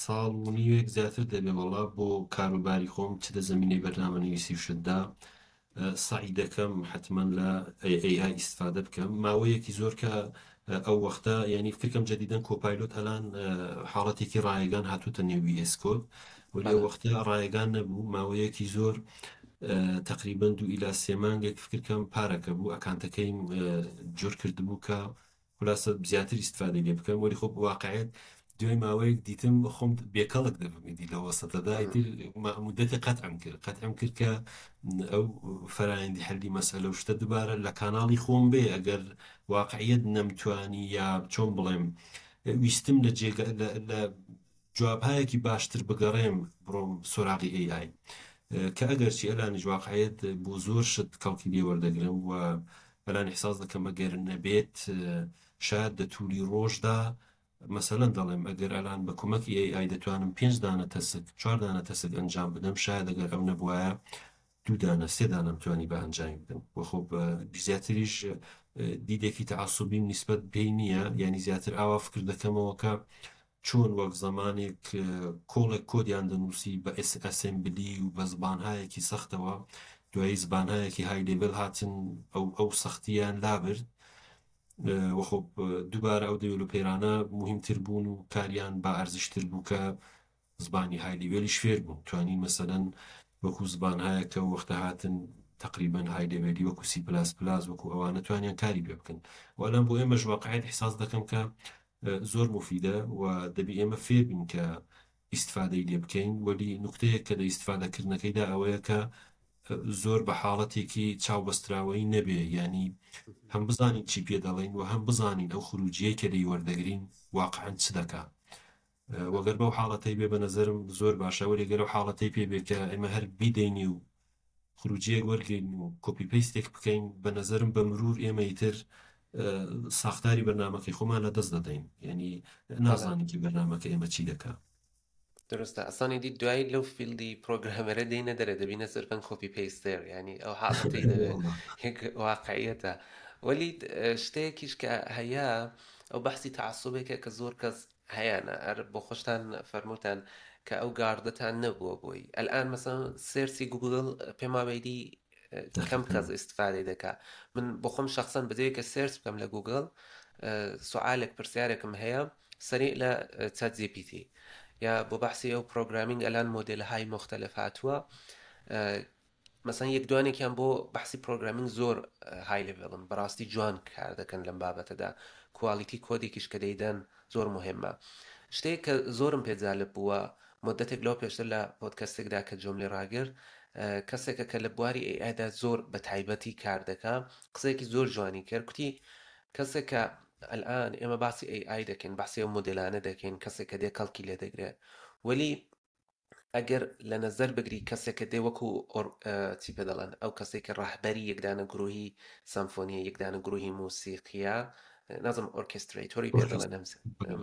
ساڵ و نیوێک زیاتر دەبێ وەڵا بۆ کاروباری خۆم چ لە زەمینەی بەرنامەنویسی و شتدا سەعی دەکەم حتمما لە AI ئیستفادە بکەم. ماوەیەکی زۆر کە ئەو وەختە یعنی فکرم جدیدەن Copilot ئەلان حاڵەتێکی ڕایگان هاتوتە نێو VS Code، وەلی ئەو وەختە ڕایگان نەبوو. ماوەیەکی زۆر تقریبا 2 ئیلا 3 مانگێک فکرکەم پارەکە بوو account ەکەیم جۆر کردبوو کە خلاصە زیاتر ئیستفادەی لێ بکەم. وەلی خۆ واقعیت دوای ماوەیەک دیتم خۆم بێکەڵک دەبم ئیدی لە وەسەتەدا، ئیتر مدەتی قەتعم کرد، قەتعم کرد کە ئەو فەرایندی حەلی مەسئلە و شتە دووبارە لە کاناڵی خۆم بێ ئەگەر واقعیت نەمتوانی یا چۆن بڵێم ویستم لە جێگە لە جوابهایەکی باشتر بگەڕێم بڕۆم سۆراغی AI، کە ئەگەرچی ئەلانیش واقعیت بۆ زۆر شت کەڵکی لێ وەردەگرم و ئەلان ئیحساس دەکەم ئەگەر نەبێت شاید دە توولی ڕۆژدا مەسەلەن دەڵێم ئەگەر ئەلان بە کومەکی AI دەتوانم پێنج دانە task چوار دانە task ئەنجام بدەم شاید ئەگەر ئەو نەبوایە دوو دانە سێ دانەم توانی بە ئەنجامی بدەم وە خۆ بە زیاتریش دیدێکی تەعەسوبیم نیسبەت پێی نییە یانی زیاتر ئاوا فکر دەکەمەوە کە چۆن وەک زەمانێک کۆڵێک کۆدیان دەنووسی بە assembly و بە زبانهایەکی سەختەوە دوایی زبانهایەکی high level هاتن ئەو ئەو سەختیان لابرد وە خۆ دووبارە ئەو developer انە موهیمتر بوون و کاریان با ئەرزشتر بوو کە زبانی high level یش فێر بوون توانی مەسەلەن وەکو زبانهایەک کە ئەو وەختە هاتن تەقریبەن high level ی وەکو سی پلاس پلاس وەکو ئەوانە توانیان کاری پێ بکەن و ئەلان بۆ ئێمەش واقعیت ئیحساس دەکەم کە زۆر موفیدە و دەبی ئێمە فێر بین کە ئیستفادەی لێ بکەین وەلی نوکتەیەک کە لە ئیستفادەکردنەکەیدا ئەوەیە کە زۆر بە حاڵەتێکی چاو بەستراوەیی نەبێ یانی هەم بزانین چی پێ دەڵێین و هەم بزانین ئەو خروجیەی کە لێی وەردەگرین واقعەن چ دەکا وەگەر بەو حاڵەتەی بێ بە نەزەرم زۆر باشە وەلی گەر ئەو حاڵەتەی پێ بێ کە ئێمە هەر بیدەینی و خروجیەک وەرگین و copy paste ێک بکەین بە نەزەرم بە مرور ئێمە ئیتر ساختاری بەرنامەکەی خۆمان لە دەست دەدەین یعنی نازانین که بەرنامەکە ئێمە چی دەکا. درستە ئەسڵەن ئیدی دوایی لەو field ی programmer ە دێینە دەرێ دەبینە سرفەن copy paster یعنی ئەو حاڵەتەی دەبێ یەک واقعیەتە وەلی شتێکیش کە هەیە ئەو بەحسی تەعەسوبێکە کە زۆر کەس هەیانە هەر بۆ خۆشتان فەرمووتان کە ئەو گاردەتان نەبووە بۆی ئەلئان مەسەن search ی گوگل پێم وابێ کەم کەس ئیستفادەی دەکا من بۆ خۆم شخصەن بەجێ کە search بکەم لە گوگل سوالێک پرسیارێکم هەیە سەری لە ChatGPT یا بۆ بەحسی ئەو programming ئەلان مۆدل های مختلف هاتووە مەسەن یەک دوانێکیان بۆ بەحسی programming زۆر high level ن بەڕاستی جوان کار دەکەن لەم بابەتەدا quality کۆدێکیش کە دەیدەن زۆر مهمە شتێک کە زۆرم پێ جالب بووە مدەتێک لەوە پێشتر لە پۆدکەستێکدا کە جۆم لێ ڕاگرت کەسێکە کە لە بواری AI دا زۆر بە تایبەتی کار دەکا قسەیەکی زۆر جوانی کرد کوتی کەسێک کە ئەلان ئێمە باسی AI دەکەین باسی ئەو مۆدێلانە دەکەین کەسێک کە دێ کەڵکی لێ دەگرێ وەلی ئەگەر لە نەزەر بگری کەسێک کە دێ وەکو چی پێ دەڵێن ئەو کەسێک کە ڕەهبەری یەکدانە گروهی سەمفۆنیە یەکدانە گروهی موسیقیە نازم orchestrator ی پێ دەڵێن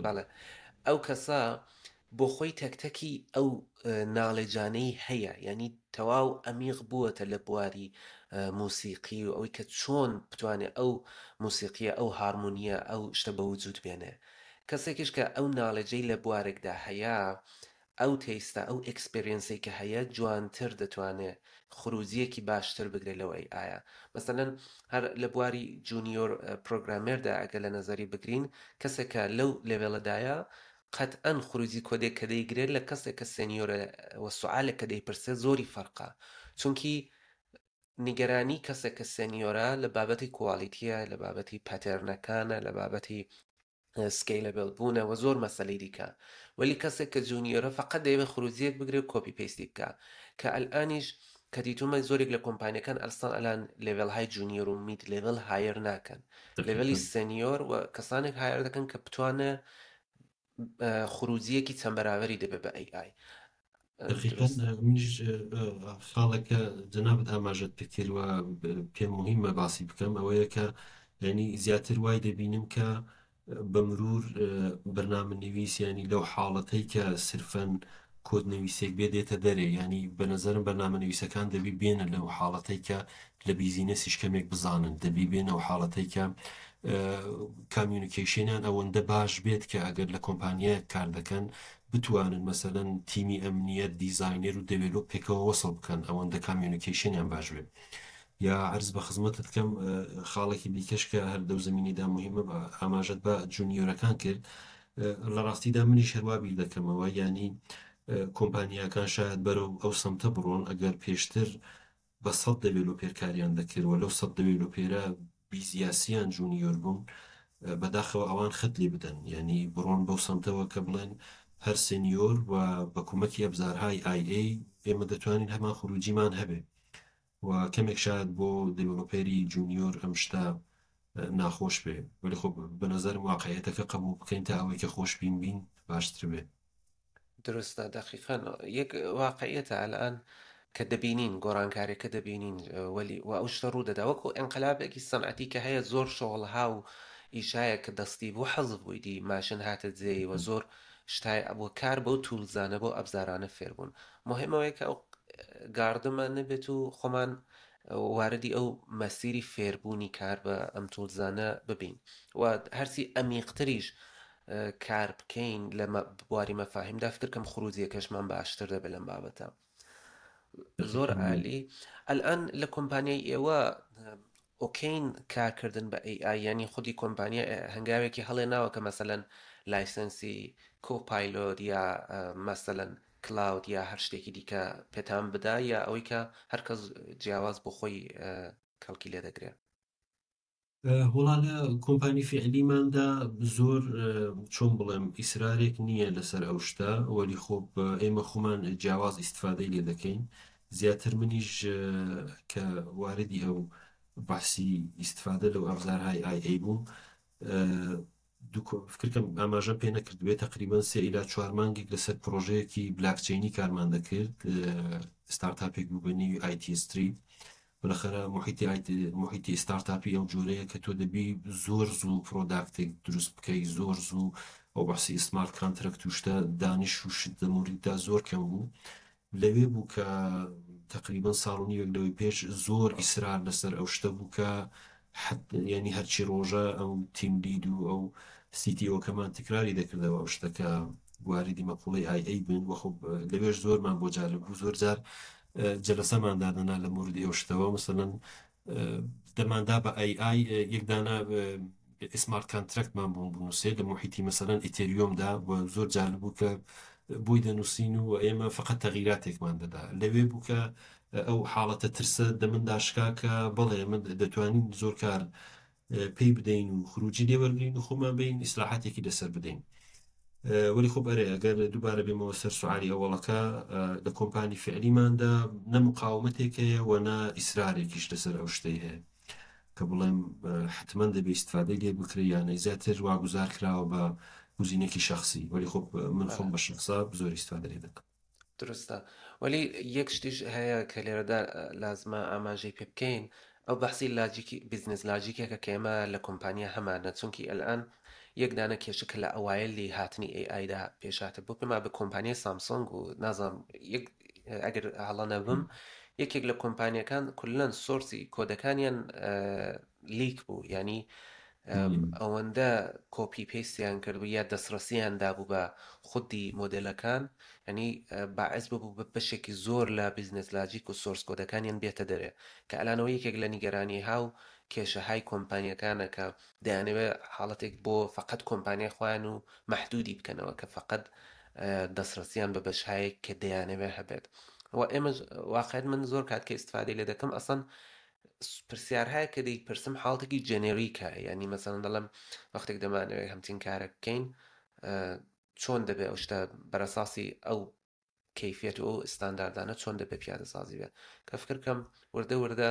بەڵێ ئەو کەسە بۆ خۆی تەک تەکی ئەو knowledge انەی هەیە یعنی تەواو ئەمیق بووەتە لە بواری موسیقی و ئەوەی کە چۆن بتوانێت ئەو موسیقیە ئەو هارمۆنیە ئەو شتە بە وجود بێنێ کەسێکیش کە ئەو knowledge ەی لە بوارێکدا هەیە ئەو taste ە ئەو experience ەی کە هەیە جوانتر دەتوانێ خروجیەکی باشتر بگرێ لەو AI ە مەسەلەن هەر لە بواری junior programmer دا ئەگەر لە نەزەری بگرین کەسێک کە لەو level ەدایە قەتئەن خروجی کۆدێک کە دەیگرێت لە کەسێک کە senior ە وە سوالێک کە دەیپرسێ زۆری فەرقە چونکی نیگەرانی کەسێک کە senior ە لە بابەتی quality یە لە بابەتی pattern ەکانە لە بابەتی scalable بوونە وە زۆر مەسەلەی دیکە وەلی کەسێک کە junior ە فقط دەیەوێت خروجیەک بگرێت و copy paste ی بکە کە ئەلئانیش کە دیتومە زۆرێک لە کۆمپانیەکان ئەلسان ئەلان level های junior و mid level hire ناکەن level ی senior و کەسانێک hire دەکەن کە بتوانێت خروجیەکی چەند بەرابەری دەبێت بە AI. دەقیقەن منیش خاڵێک کە جەنابت ئاماژەت پێ کرد و پێم مهمە باسی بکەم ئەوەیە کە یعنی زیاتر وای دەبینم کە بە مرور بەرنامە نویس ینی لەو حاڵەتەی کە سرفەن کۆد نویسێک بێ دێتە دەرێ ینی بە نەزەرم بەرنامە نویسەکان دەبی بێنە لەو حاڵەتەی کە لە business یش کەمێک بزانن دەبی بێنە ئەو حاڵەتەی کە communication یان ئەوەندە باش بێت کە ئەگەر لە کۆمپانیایەک کار دەکەن بتوانن مەسەلەن تیمی ئەمنیەت designer و develop پێکەوە وەسڵ بکەن ئەوەندە communication یان باش بێت یا عەرز بە خزمەتت کەم خاڵێکی دیکەش کە هەر دەو زمینیدا مهمە بە ئاماژەت بە junior ەکان کرد لە ڕاستیدا منیش هەروا بیر دەکەمەوە یانی کۆمپانیاکان شاید بەرەو ئەو سەمتە بڕۆن ئەگەر پێشتر بە سەد developer کاریان دەکرد و لەو سەد developer ە 20 یا سیان junior بوون بەداخەوە ئەوان خەت لێ بدەن یانی بڕۆن بەو سەمتەوە کە بڵێن هەر senior و بە کومەکی ئەبزارهای AI ئێمە دەتوانین هەمان خروجیمان هەبێ و کەمێک شاید بۆ developer ی junior ئەم شتە ناخۆش بێ وەلی خۆ بە نەزەرم واقعیەتەکە قبوڵ بکەین تا ئەوەی کە خۆشبین بین باشتر بێ. دروستە دەقیقەن یەک واقعیەتە ئەلئان کە دەبینین گۆڕانکاریەکە دەبینین وەلی و ئەو شتە ڕوو دەدا وەکو ئینقلابێکی سەنعەتی کە هەیە زۆر شۆڵها و ئیشایە کە دەستی بوو حەزف بووی دی ماشن هاتە جێی وە زۆر شتای ئەبوو کار بەو tools انە بەو ئەبزارانە فێر بوون مهم ئەوەیە کە ئەو گاردمە نەبێت و خۆمان واردی ئەو مەسیری فێربوونی کار بە ئەم tools انە ببین و هەرچی ئەمیقتریش کار بکەین لە بواری مەفاهیمدا فکر کەم خروجیەکەشمان باشتر دەبێت لەم بابەتە. زۆر عالی ئەلئان لە کۆمپانیای ئێوە okay ن کارکردن بە AI یانی خودی کۆمپانیا هەنگاوێکی هەڵێناوە کە مەسەلەن license ی Copilot یا مەسەلەن Claude یا هەر شتێکی دیکە پێتان بدا یا ئەوەی کە هەر کەس جیاواز بۆ خۆی کەڵکی لێ دەگرێ؟ وەڵا لە کۆمپانی فیعلیماندا زۆر چۆن بڵێم ئیسرارێک نییە لەسەر ئەو شتە وەلی خۆ ئێمە خۆمان جیاواز ئیسیفادەی لێ دەکەین زیاتر منیش کە واردی ئەو باسی ئیسیفادە لەو ئەبزارهای ئای ئەی بووم فکرکەم ئاماژەم پێ نەکردبێ تقریبا سێ ئیلا چوار مانگێک لەسەر پرۆژەیەکی بلاکچینی کارمان دەکرد ستارتاپێک بوو بە نێوی IT Street بالاخرە محیطی محیطی ستارتاپی ئەو جۆرەیە کە تۆ دەبی زۆر زوو product ێک دروست بکەی زۆر زوو ئەو بەحسی smart contract و شتە دانش و شت لە موریددا زۆر کەم بوو لەوێ بوو کە تقریبا ساڵ و نیوێک لەوەی پێش زۆر ئیسرار لەسەر ئەو شتە بوو کە یعنی هەرچی ڕۆژە ئەو team lead و ئەو CTO کەمان تکراری دەکردەوە ئەو شتە کە واریدی مەقوڵەی AI بن وەخۆ لەوێش زۆرمان بۆ جالب بوو زۆر جار جەلەسەمان دادەنا لە موردی ئەو شتەوە مەسەلەن دەماندا بە AI یەک دانە smart contract مان بوون بنووسێ لە محیطی مەسەلەن Ethereum دا و زۆر جالب بوو کە بۆی دەنووسین و ئێمە فقط تەغیراتێکمان دەدا لەوێ بوو کە ئەو حاڵەتە ترسە دەمندا شکا کە بەڵێ من دەتوانین زۆر کار پێی بدەین و خروجی لێ وەرگین و خۆمان بین ئیسلاحاتێکی لەسەر بدەین. وەلی خۆ ئەرێ ئەگەر دووبارە بێمەوە سەر سوعالی ئەوەڵەکە لە کۆمپانی فعلیماندا نە مقاومەتێک هەیە و نە ئیسرارێکیش لەسەر ئەو شتەی هەیە کە بڵێم حتمما دەبێ ئیسیفادەی لێ بکرێ یانە زیاتر واگوزار کراوە بە گوزینێکی شخصی وەلی خۆ من خۆم بە شخصا زۆر ئیسیفادە لێ دەکەم. دروستە وەلی یەک شتیش هەیە کە لێرەدا لازمە ئاماژەی پێ بکەین ئەو بەحسی لاجیکی business logic ێکە کە ئێمە لە کۆمپانیا هەمانە چونکی ئەلئان یەک دانە کێشە کە لە ئەوایلی هاتنی AI دا پێشاتە بۆ پێما بە کۆمپانیای سامسۆنگ و نازانم یەک ئەگەر هەڵە نەبم یەکێک لە کۆمپانیەکان کولەن source ی کۆدەکانیان leak بوو یعنی ئەوەندە copy paste یان کردبوو یا دەستڕەسیان دابوو بە خودی مۆدێلەکان یعنی باعث ببوو بە بەشێکی زۆر لە business logic و source کۆدەکانیان بێتە دەرێ کە ئەلانەوە یەکێک لە نیگەرانی ها و کێشەهای کۆمپانیەکانە کە دەیانەوێت حاڵەتێک بۆ فقط کۆمپانیای خۆیان و مەحدودی بکەنەوە کە فقط دەستڕەسیان بە بەشهایەک کە دەیانەوێت هەبێت و ئێمە واقعیت من زۆر کات کە ئیسیفادەی لێ دەکەم ئەسڵەن پرسیار هەیە کە دەیپرسم حاڵەتێکی generic ە یعنی مەسەڵەن دەڵێم وەختێک دەمانەوێت هەمچین کارە بکەین چۆن دەبێ ئەو شتە بەرەساسی ئەو کەیفیەت و ئەو ستانداردانە چۆن دەبێ پیادەسازی بێت کە فکر کەم وردە وردە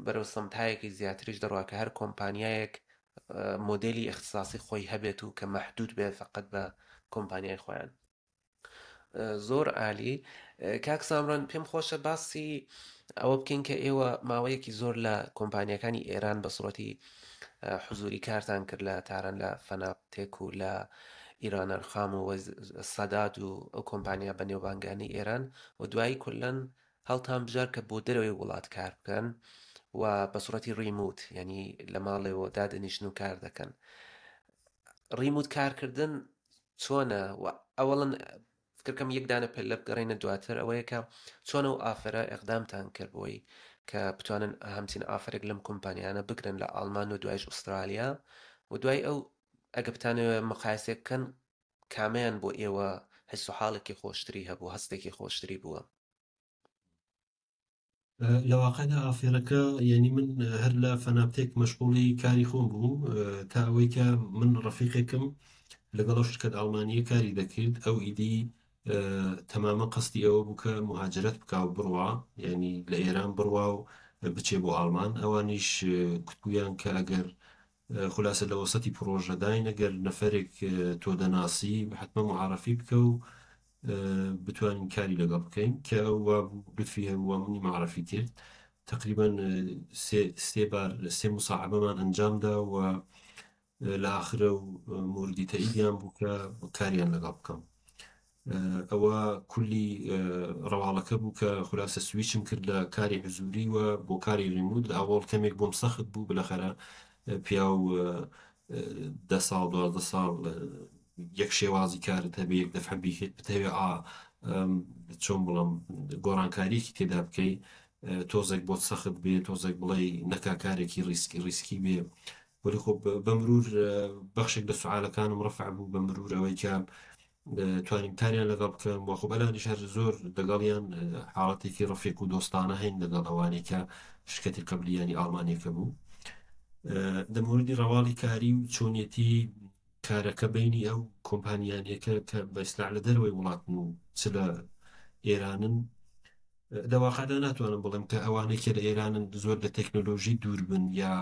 بەرەو سمتایەکی زیاتریش دەڕوا کە هەر کۆمپانیایەک مۆدێلی اختصاصی خۆی هەبێت و کە مەحدود بێت فقط بە کۆمپانیای خۆیان. زۆر عالی کاک سامران پێم خۆشە باسی ئەوە بکەین کە ئێوە ماوەیەکی زۆر لە کۆمپانیەکانی ئێران بە سوڕەتی حزوری کارتان کرد لە تاران لە فەناپتێک و لە ئیران ئەرخام و سەداد و ئەو کۆمپانیا بەنێوبانگانی ئێران و دوایی کولەن هەڵتان بژار کە بۆ دەرەوەی وڵات کار بکەن و بە سوڕەتی remote یعنی لە ماڵێەوە دادەنیشن و کار دەکەن remote کارکردن چۆنە و ئەوەڵەن فکرکەم یەک دانە پلە بگەڕێینە دواتر ئەوەیە کە چۆن ئەو offer ە ئیقدامتان کرد بۆی کە بتوانن هەمچین offer ێک لەم کۆمپانیانە بگرن لە ئاڵمان و دوایش ئوسترالیا و دوای ئەو ئەگە بتانەوێ مقایسێک بکەن کامیان بۆ ئێوە حس و حاڵێکی خۆشتری هەبوو هەستێکی خۆشتری بووە؟ لە واقعدا offer ەکە یعنی من هەر لە فەناپتێک مەشغوڵی کاری خۆم بووم تا ئەوەی کە من ڕەفیقێکم لەگەڵ ئەو شرکەت ئەڵمانیە کاری دەکرد ئەو ئیدی تەمامە قەستی ئەوە بوو کە مهاجرەت بکا و بڕوا یعنی لە ئێران بڕوا و بچێ بۆ ئاڵمان ئەوانیش کوتبوویان کە ئەگەر خولاسە لە وەسەتی پڕۆژەداین ئەگەر نەفەرێک تۆ دەناسی حتمما معرفی بکە و بتوانین کاری لەگەڵ بکەین کە ئەو وابوو لوتفی هەبوو منی معرفی کرد تقریبا سێ بار سێ مساعبەمان ئەنجامدا و لە ئاخرە و موردی تەئیدیان بوو کە کاریان لەگەڵ بکەم. ئەوە کولی ڕەواڵەکە بوو کە خولاسە سویچم کرد لە کاری حزوری و بۆ کاری remote. لە ئەوەڵ کەمێک بۆم سەخت بوو، بلەخەرە پیاو 10 ساڵ 12 ساڵ یەک شێوازی کارت هەبێ، یەک دەفعە بتەوێ چۆن بڵم گۆڕانکاریەکی تێدا بکەی، تۆزێک بۆت سەخت بێ، تۆزێک بڵێ نەکا کارێکی ریسکی بێ. وەلی خۆ بە مرور بەخشێک لە سوالەکانم ڕەفع بوو بە مرور ئەوەی کە توانیم کاریان لەگەڵ بکەم. وە خۆ بەلانیش هەر زۆر لەگەڵیان حاڵەتێکی ڕەفیق و دۆستانە هەین لەگەڵ ئەوانەی کە شرکەتی قەبلیانی ئاڵمانیەکە بوو. لە موردی ڕەواڵی کاری و چۆنیەتی کارەکە بینی ئەو کۆمپانیانەکە کە بە ئیسلاح لە دەرەوەی وڵاتن و چ لە ئێرانن، لە واقعدا ناتوانم بڵێم کە ئەوانەی کە لە ئێرانن زۆر لە تەکنۆلۆژی دوور بن یا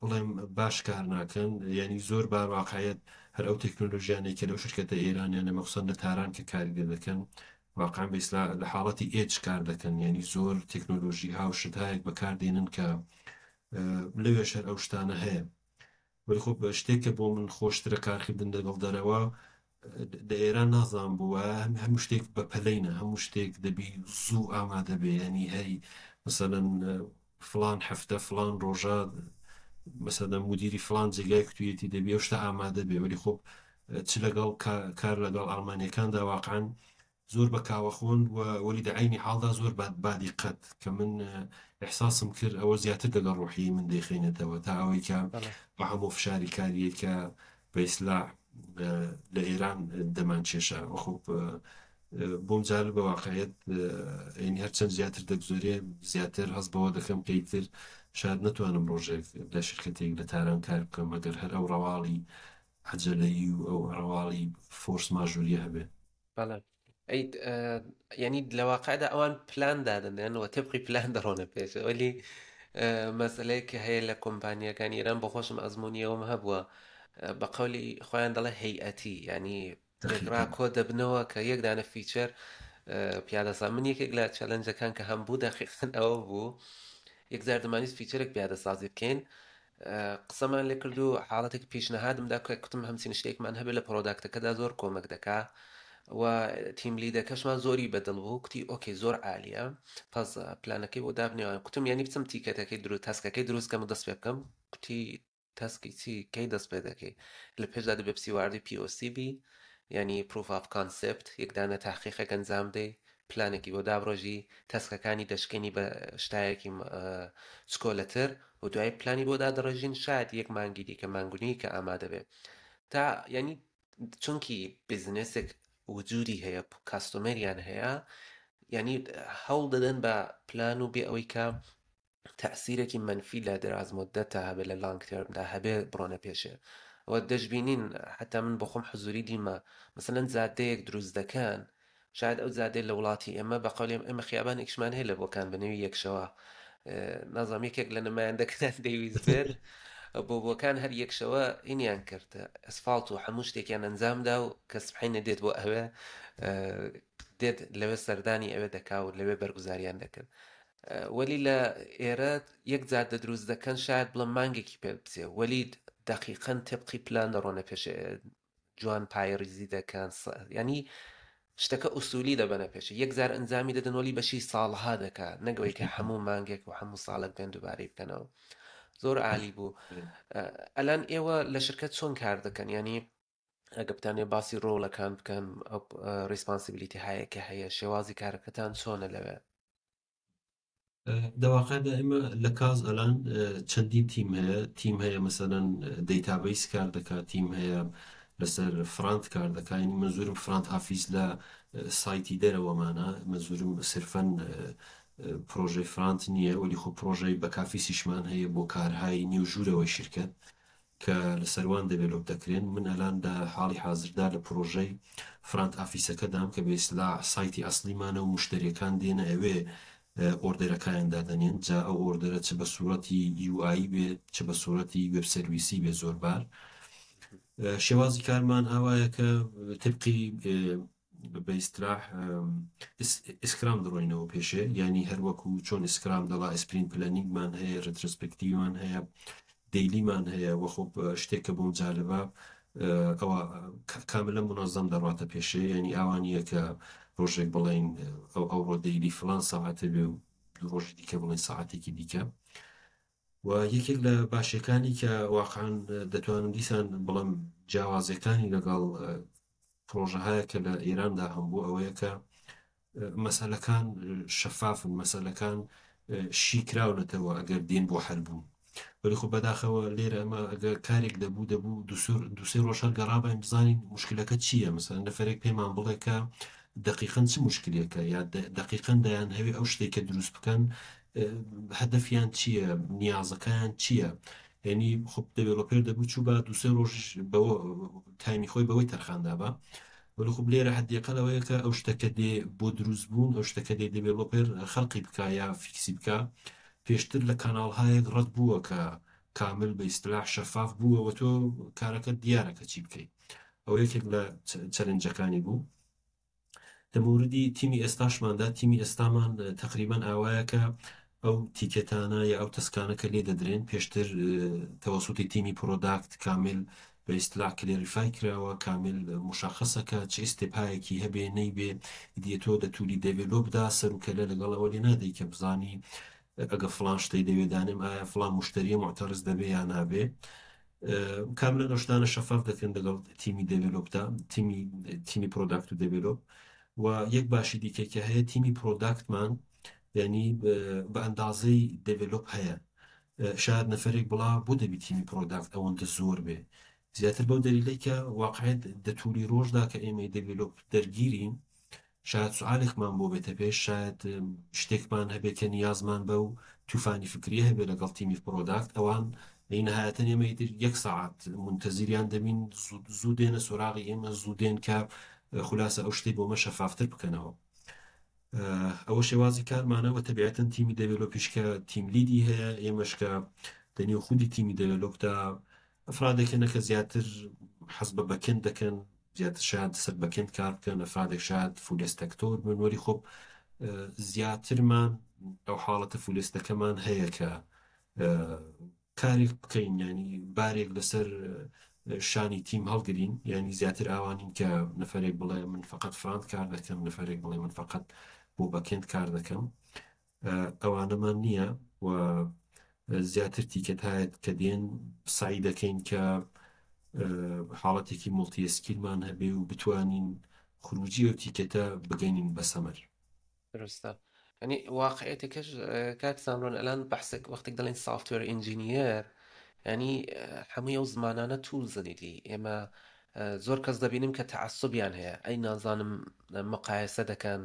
بڵێم باش کار ناکەن. یعنی زۆر بار واقعیت هەر ئەو تەکنۆلۆژیانەی کە لەو شرکەتە ئێرانیانە مەخصوصا لە تاران کە کاری لێ دەکەن، واقعا بە ئیسلا لە حاڵەتی edge کار دەکەن، یعنی زۆر تەکنۆلۆژی ها و شتهایەک بەکاردێنن کە لەوێش هەر ئەو شتانە هەیە. وەلی خۆ شتێک کە بۆ من خۆشترە کارکردن لەگەڵ دەرەوە لە ئێران نازانم بووە، هەموو شتێک بە پەلەینە، هەموو شتێک دەبی زوو ئامادە بێ. ینی هەی مثلەن فلان هەفتە فلان ڕۆژە مثلەن مدیری فلان جێگای کوتویەتی دەبی ئەو شتە ئامادە بێ. وەلی خۆ چ لەگەڵ کار لەگەڵ ئەڵمانیەکاندا واقعا زۆر بە کاوەخۆن و وەلی دە عەینی حاڵدا زۆر بادیقەت کە من ئیحساسم کرد ئەوە زیاتر لەگەڵ ڕۆحی من دەیخەینێتەوە تا ئەوەی کە بە هەموو فشاری کاریەی کە بە ئیسلاح لە ئێران دەمانکێشا. خۆ بۆم جالب بە واقعیت یعنی هەرچەند زیاتر دەگوزەرێ زیاتر هەست بەوە دەکەم کە ئیتر شاید نەتوانم ڕۆژێک لە شرکەتێک لە تاران کار بکەم ئەگەر هەر ئەو ڕەواڵی عەجەلەیی و ئەو ڕەواڵی فۆرس ماژوریە هەبێ. بەڵێ ئەی یعنی لە واقعدا ئەوان پلان دادەنێن و تبقی پلان دەڕۆنە پێش. وەلی مەسەلەیەک کە هەیە لە کۆمپانیەکانی ئێران، بۆ خۆشم ئەزمموونیەوەم هەبووە، بە قەولی خۆیان دەڵێ هەیئەتی، یعنی پێکڕا دەقیقا کۆ دەبنەوە کە یەک دانە feature پیادەسا. من یەکێک لە challenge ەکان کە هەم بوو دەقیقەن ئەوە بوو، یەکجار دەمانویست feature ێک پیادەسازی بکەین، قسەمان لێ کرد و حاڵەتێک پیشنهادم دا کە کوتم هەمچین شتێکمان هەبێت لە product ەکەدا زۆر کۆمەک دەکا و team lead ەکەشمان زۆری بەدڵ بوو، کوتی okay زۆر عالیە، پس پلانەکەی بۆ دابنێوان. کوتم یعنی بچم ticket ەکەی دروست task ەکەی دروست کەم و دەست پێ بکەم. کوتی task ی چی؟ کەی دەست پێ دەکەی؟ لە پێشدا دەبێ بچی واردی POC بی، یعنی proof of concept، یەک دانە تحقیقێک ئەنجام دەی، پلانێکی بۆ دابڕۆژی، task ەکانی دەشکێنی بە شتایەکی چکۆلەتر و دوای پلانی بۆ دادەڕێژین، شاید یەک مانگی دیکە مانگونی کە ئامادە بێ تا یعنی چونکی business ێک وجودی هەیە، customer یان هەیە، یعنی هەوڵ دەدەن بە پلان و بێ ئەوەی کە تەئسیرێکی مەنفی لە دراز مدەتدا هەبێ، لە long term دا هەبێ، بڕۆنە پێشێ. و دەشبینین حتا من بۆ خۆم حزوری دیمە، مثلا جادەیەک دروست دەکەن، شاید ئەو جادەیە لە وڵاتی ئێمە بە قەولی ئێمە خیابانێکیشمان هەیە لە بۆکان بە نێوی یەکشەوە، نازانم یەکێک لە نمایندەکان دەیویست بێت بۆ بۆکان هەر یەکشەوە ئینیان کرد، ئەسفاڵت و هەموو شتێکیان ئەنجامدا و کە سبحینە دێت بۆ ئەوێ دێت لەوێ سەردانی ئەوێ دەکا و لەوێ بەرگوزاریان دەکرد. وەلی لە ئێرە یەک جادە دروست دەکەن شاید بڵێم مانگێکی پێ بچێ، وەلی دەقیقەن تبقی پلان دەڕۆنە پێش، جوان پایڕیزی دەکەن، ینی شتەکە ئوسولی دەبەنە پێش، یەک جار ئەنجامی دەدەن وەلی بەشی ساڵها دەکا، نەگەوەی کە هەموو مانگێک و هەموو ساڵێک بێن دووبارەی بکەنەوە. زۆر عالی بوو. ئەلان ئێوە لە شرکەت چۆن کار دەکەن؟ ینی ئەگە بتانێ باسی ڕۆڵەکان بکەن، ئەو responsibility هەیە کە هەیە، شێوازی کارەکەتان چۆنە لەوێ؟ دەواقعدا ئێمە لە کاز ئەلان چەندین تیم هەیە. تیم هەیە مەسەلەن database کار دەکات، تیم هەیە لەسەر front کار دەکات، یعنی منزورم front office لە سایتی دەرەوەمانە، منزورم سرفەن پرۆژەی front نییە، وەلی خۆ پرۆژەی back office یشمان هەیە بۆ کارهای نێو ژوورەوەی شرکت کە لەسەر وان develop دەکرێن. من ئەلان لە حاڵی حازردا لە پرۆژەی front office ەکەدام کە بە ئیسلاح سایتی ئەسلیمانە و مشتریەکان دێنە ئەوێ order ەکانیان دادەنێن، جا ئەو order ە چ بە سوورەتی UI بێت چ بە سوورەتی web service ی بێ. زۆر بار شێوازی کارمان ئاوایە کە تبقی بە ئیستراح Scrum دەڕۆینەوە پێشێ، ینی هەروەکو چۆن Scrum دەڵا sprint planning مان هەیە، retrospective مان هەیە. daily مان هەیە وە خۆ شتێک کە بۆم جالبە ئەوە کاملە منەزەم دەڕاتە پێشێ یعنی ئاوا نییە کە ڕۆژێک بڵێین ئەو ئەوڕۆ daily فلان ساعتە بێ و دوو ڕۆژی دیکە بڵێن ساعتێکی دیکە. و یەکێک لە باشەکانی کە واقعا دەتوانم دیسان بڵێم جیاوازیەکانی لەگەڵ پرۆژە هەیە کە لە ئێراندا هەم بوو ئەوەیە کە مەسەلەکان شەفافن، مەسەلەکان شی کراونەتەوە ئەگەر دێن بۆ حەل بوون. وەلی خۆ بەداخەوە لێرە ئەمە ئەگەر کارێک دەبوو دەبوو دووسێ ڕۆژ هەر گەڕابین بزانین مشکلەکە چییە. مەسەلەن نەفەرێک پێمان بڵێ کە دقیقاً چ مشکلێکە یا دقیقاً دەیان هەوێ ئەو شتێک کە دروست بکەن هەدەفیان چییە، نیازەکەیان چییە. یعنی خۆ developer دەبوو چوو بە دووسێ ڕۆژیش بەوە time ی خۆی بەوەی تەرخاندا بە. وەلی خۆ لێرە حدیقە لەوەیە کە ئەو شتەکە دێ بۆ دروست بوون، ئەو شتەکە دێ developer خەلقی بکا یا fix ی بکا، پێشتر لە کاناڵهایەک ڕەت بووە کە کامل بە ئیستلاح شەفاف بووە و تۆ کارەکە دیارە کە چی بکەیت. ئەو یەکێک لە challenge ەکانی بوو. لە موردی تیمی ئێستاشماندا، تیمی ئێستامان تقریبا ئاوایە کە ئەو ticket انە یا ئەو task انە کە لێ دەدرێن پێشتر تەوەسوتی تیمی product کامل بە ئیستلاح clarify کراوە، کامل مشخصە کە چ step ایەکی هەبێ نەیبێ. دیە تۆ دەتولی develop دا سەر و کەلە لەگەڵ ئەوە لێ نادەی کە بزانی ئەگە فلان شتەی دەوێ دانێم ئایا فلان مشتریە معتەرز دەبێ یا نابێ. کاملا ئەو شتانە شەفاف دەکەن لەگەڵ تیمی develop دا، تیمی تیمی product و develop. و یەک باشی دیکە کە هەیە تیمی product مان یعنی بە ئەندازەی develop هەیە. شاید نەفرێک بڵا بۆ دەبی تیمی product ئەوەندە زۆر بێ، زیاتر بەو دەلیلەی کە واقعیت دەتولی ڕۆژدا کە ئێمەی develop دەرگیرین شاید سوالێکمان بۆ بێتە پێش، شاید شتێکمان هەبێت کە نیازمان بە و توفانی فکریە هەبێ لەگەڵ تیمی product. ئەوان لەی نهایەتەن ئێمە ئیتر یەک ساعت منتەزیریان دەبین، زوو دێنە سۆراغی ئێمە، زوو دێن کە خولاسە ئەو شتەی بۆمە شەفافتر بکەنەوە. ئەوە شێوازی کارمانە. وە تەبیعەتەن تیمی develop یش کە team lead ی هەیە، ئێمەش کە دەنێو خودی تیمی develop دا ئەفرادێک هەنە کە زیاتر حەز بە backend دەکەن، زیاتر شاید سەر backend کار بکەن، ئەفرادێک شاید full stack تۆر بن. وەری خۆ زیاترمان ئەو حاڵەتە full stack ەکەمان هەیە کە کارێک بکەین، ینی بارێک لەسەر شانی تیم هەڵگرین. ینی زیاتر ئاوانین کە نەفرێک بڵێ من فقط front کار دەکەم، نەفرێک بڵێ من فقط بۆ backend کار دەکەم، ئەوانەمان نییە. و زیاتر ticket هایت کە دێن سعی دەکەین کە حاڵەتێکی multi skill مان هەبێ و بتوانین خروجی ئەو ticket ە بگەینین بە سەمەر. درستە. یعنی واقعیەتەکەش کاک سامرۆن ئەلان بەحسێک وەختێک دەڵێن software engineer یعنی هەمووی ئەو زمانانە tools ن ئیدی ئێمە زۆر کەس دەبینم کە تەعەسوبیان هەیە، ئەی نازانم مقایسە دەکەن،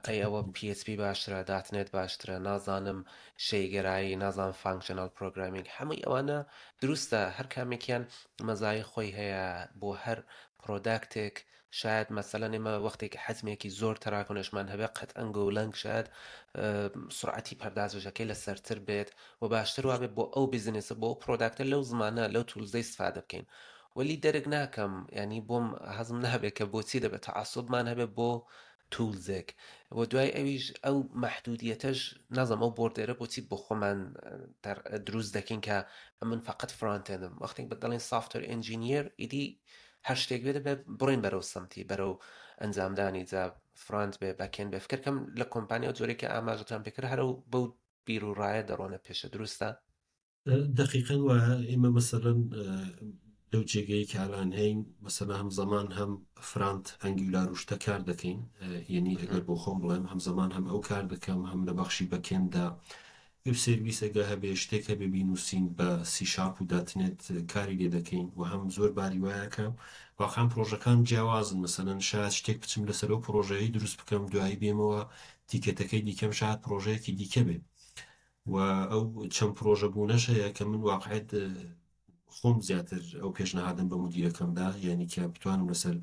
ئەی ئەوە PHP باشترە، .NET باشترە، نازانم شەیگەرایی، نازانم functional programming، هەمووی ئەوانە دروستە، هەر کامێکیان مەزای خۆی هەیە بۆ هەر product ێک. شاید مەسەلەن ئێمە وەختێک حەجمێکی زۆر تەراکۆنشمان هەبێ قەتئەن Golang شاید سرعەتی پەردازشەکەی لەسەرتر بێت و باشتر وابێت بۆ ئەو business ە بۆ ئەو product ە لەو زمانە لەو tools ەی استفادە بکەین. وەلی دەرک ناکەم، ینی بۆم هەزم نابێت کە بۆچی دەبێت تەعەسوبمان هەبێت بۆ tools ێک و دوای ئەویش ئەو مەحدودیەتەش نازم ئەو border ە بۆچی بۆ خۆمان دروست دەکەین کە من فقط frontend م. وەختێک بە دەڵێن software engineer ئیدی هەر شتێک بێت دەبێت بڕۆین بەرەو سمتی بەرەو ئەنجامدانی، جا front بێ backend بێ. فکرکەم لە کۆمپانیا و جۆرێک کە ئاماژەتان پێکرد هەرە و بەو بیر و ڕایە دەڕۆنە پێشە. دروستە؟ دقیقاً وایە. ئێمە مەسەلەن لەو جێگەیە کە ئالان هەین مەسەلەن هەم زەمان هەم front Angular و شتە کار دەکەین، یعنی ئەگەر بۆ خۆم بڵێم هەم زەمان هەم ئەو کار دەکەم، هەم لە بەخشی backend دا web service ەگە هەبێ شتێک هەبێ بینوسین بە سی شارپ و .NET کاری لێ دەکەین. و هەم زۆر باری وایە کە واقعا پرۆژەکان جیاوازن. مەسەلەن شاید شتێک بچم لەسەر ئەو پرۆژەیە دروست بکەم، دوایی بێمەوە ticket ەکەی دیکەم شاید پرۆژەیەکی دیکە بێ. و ئەو چەند پرۆژە بوونەش هەیە کە من واقعیت خۆم زیاتر ئەو پێشنهادم بە مدیرەکەمدا، یعنی کە بتوانم لەسەر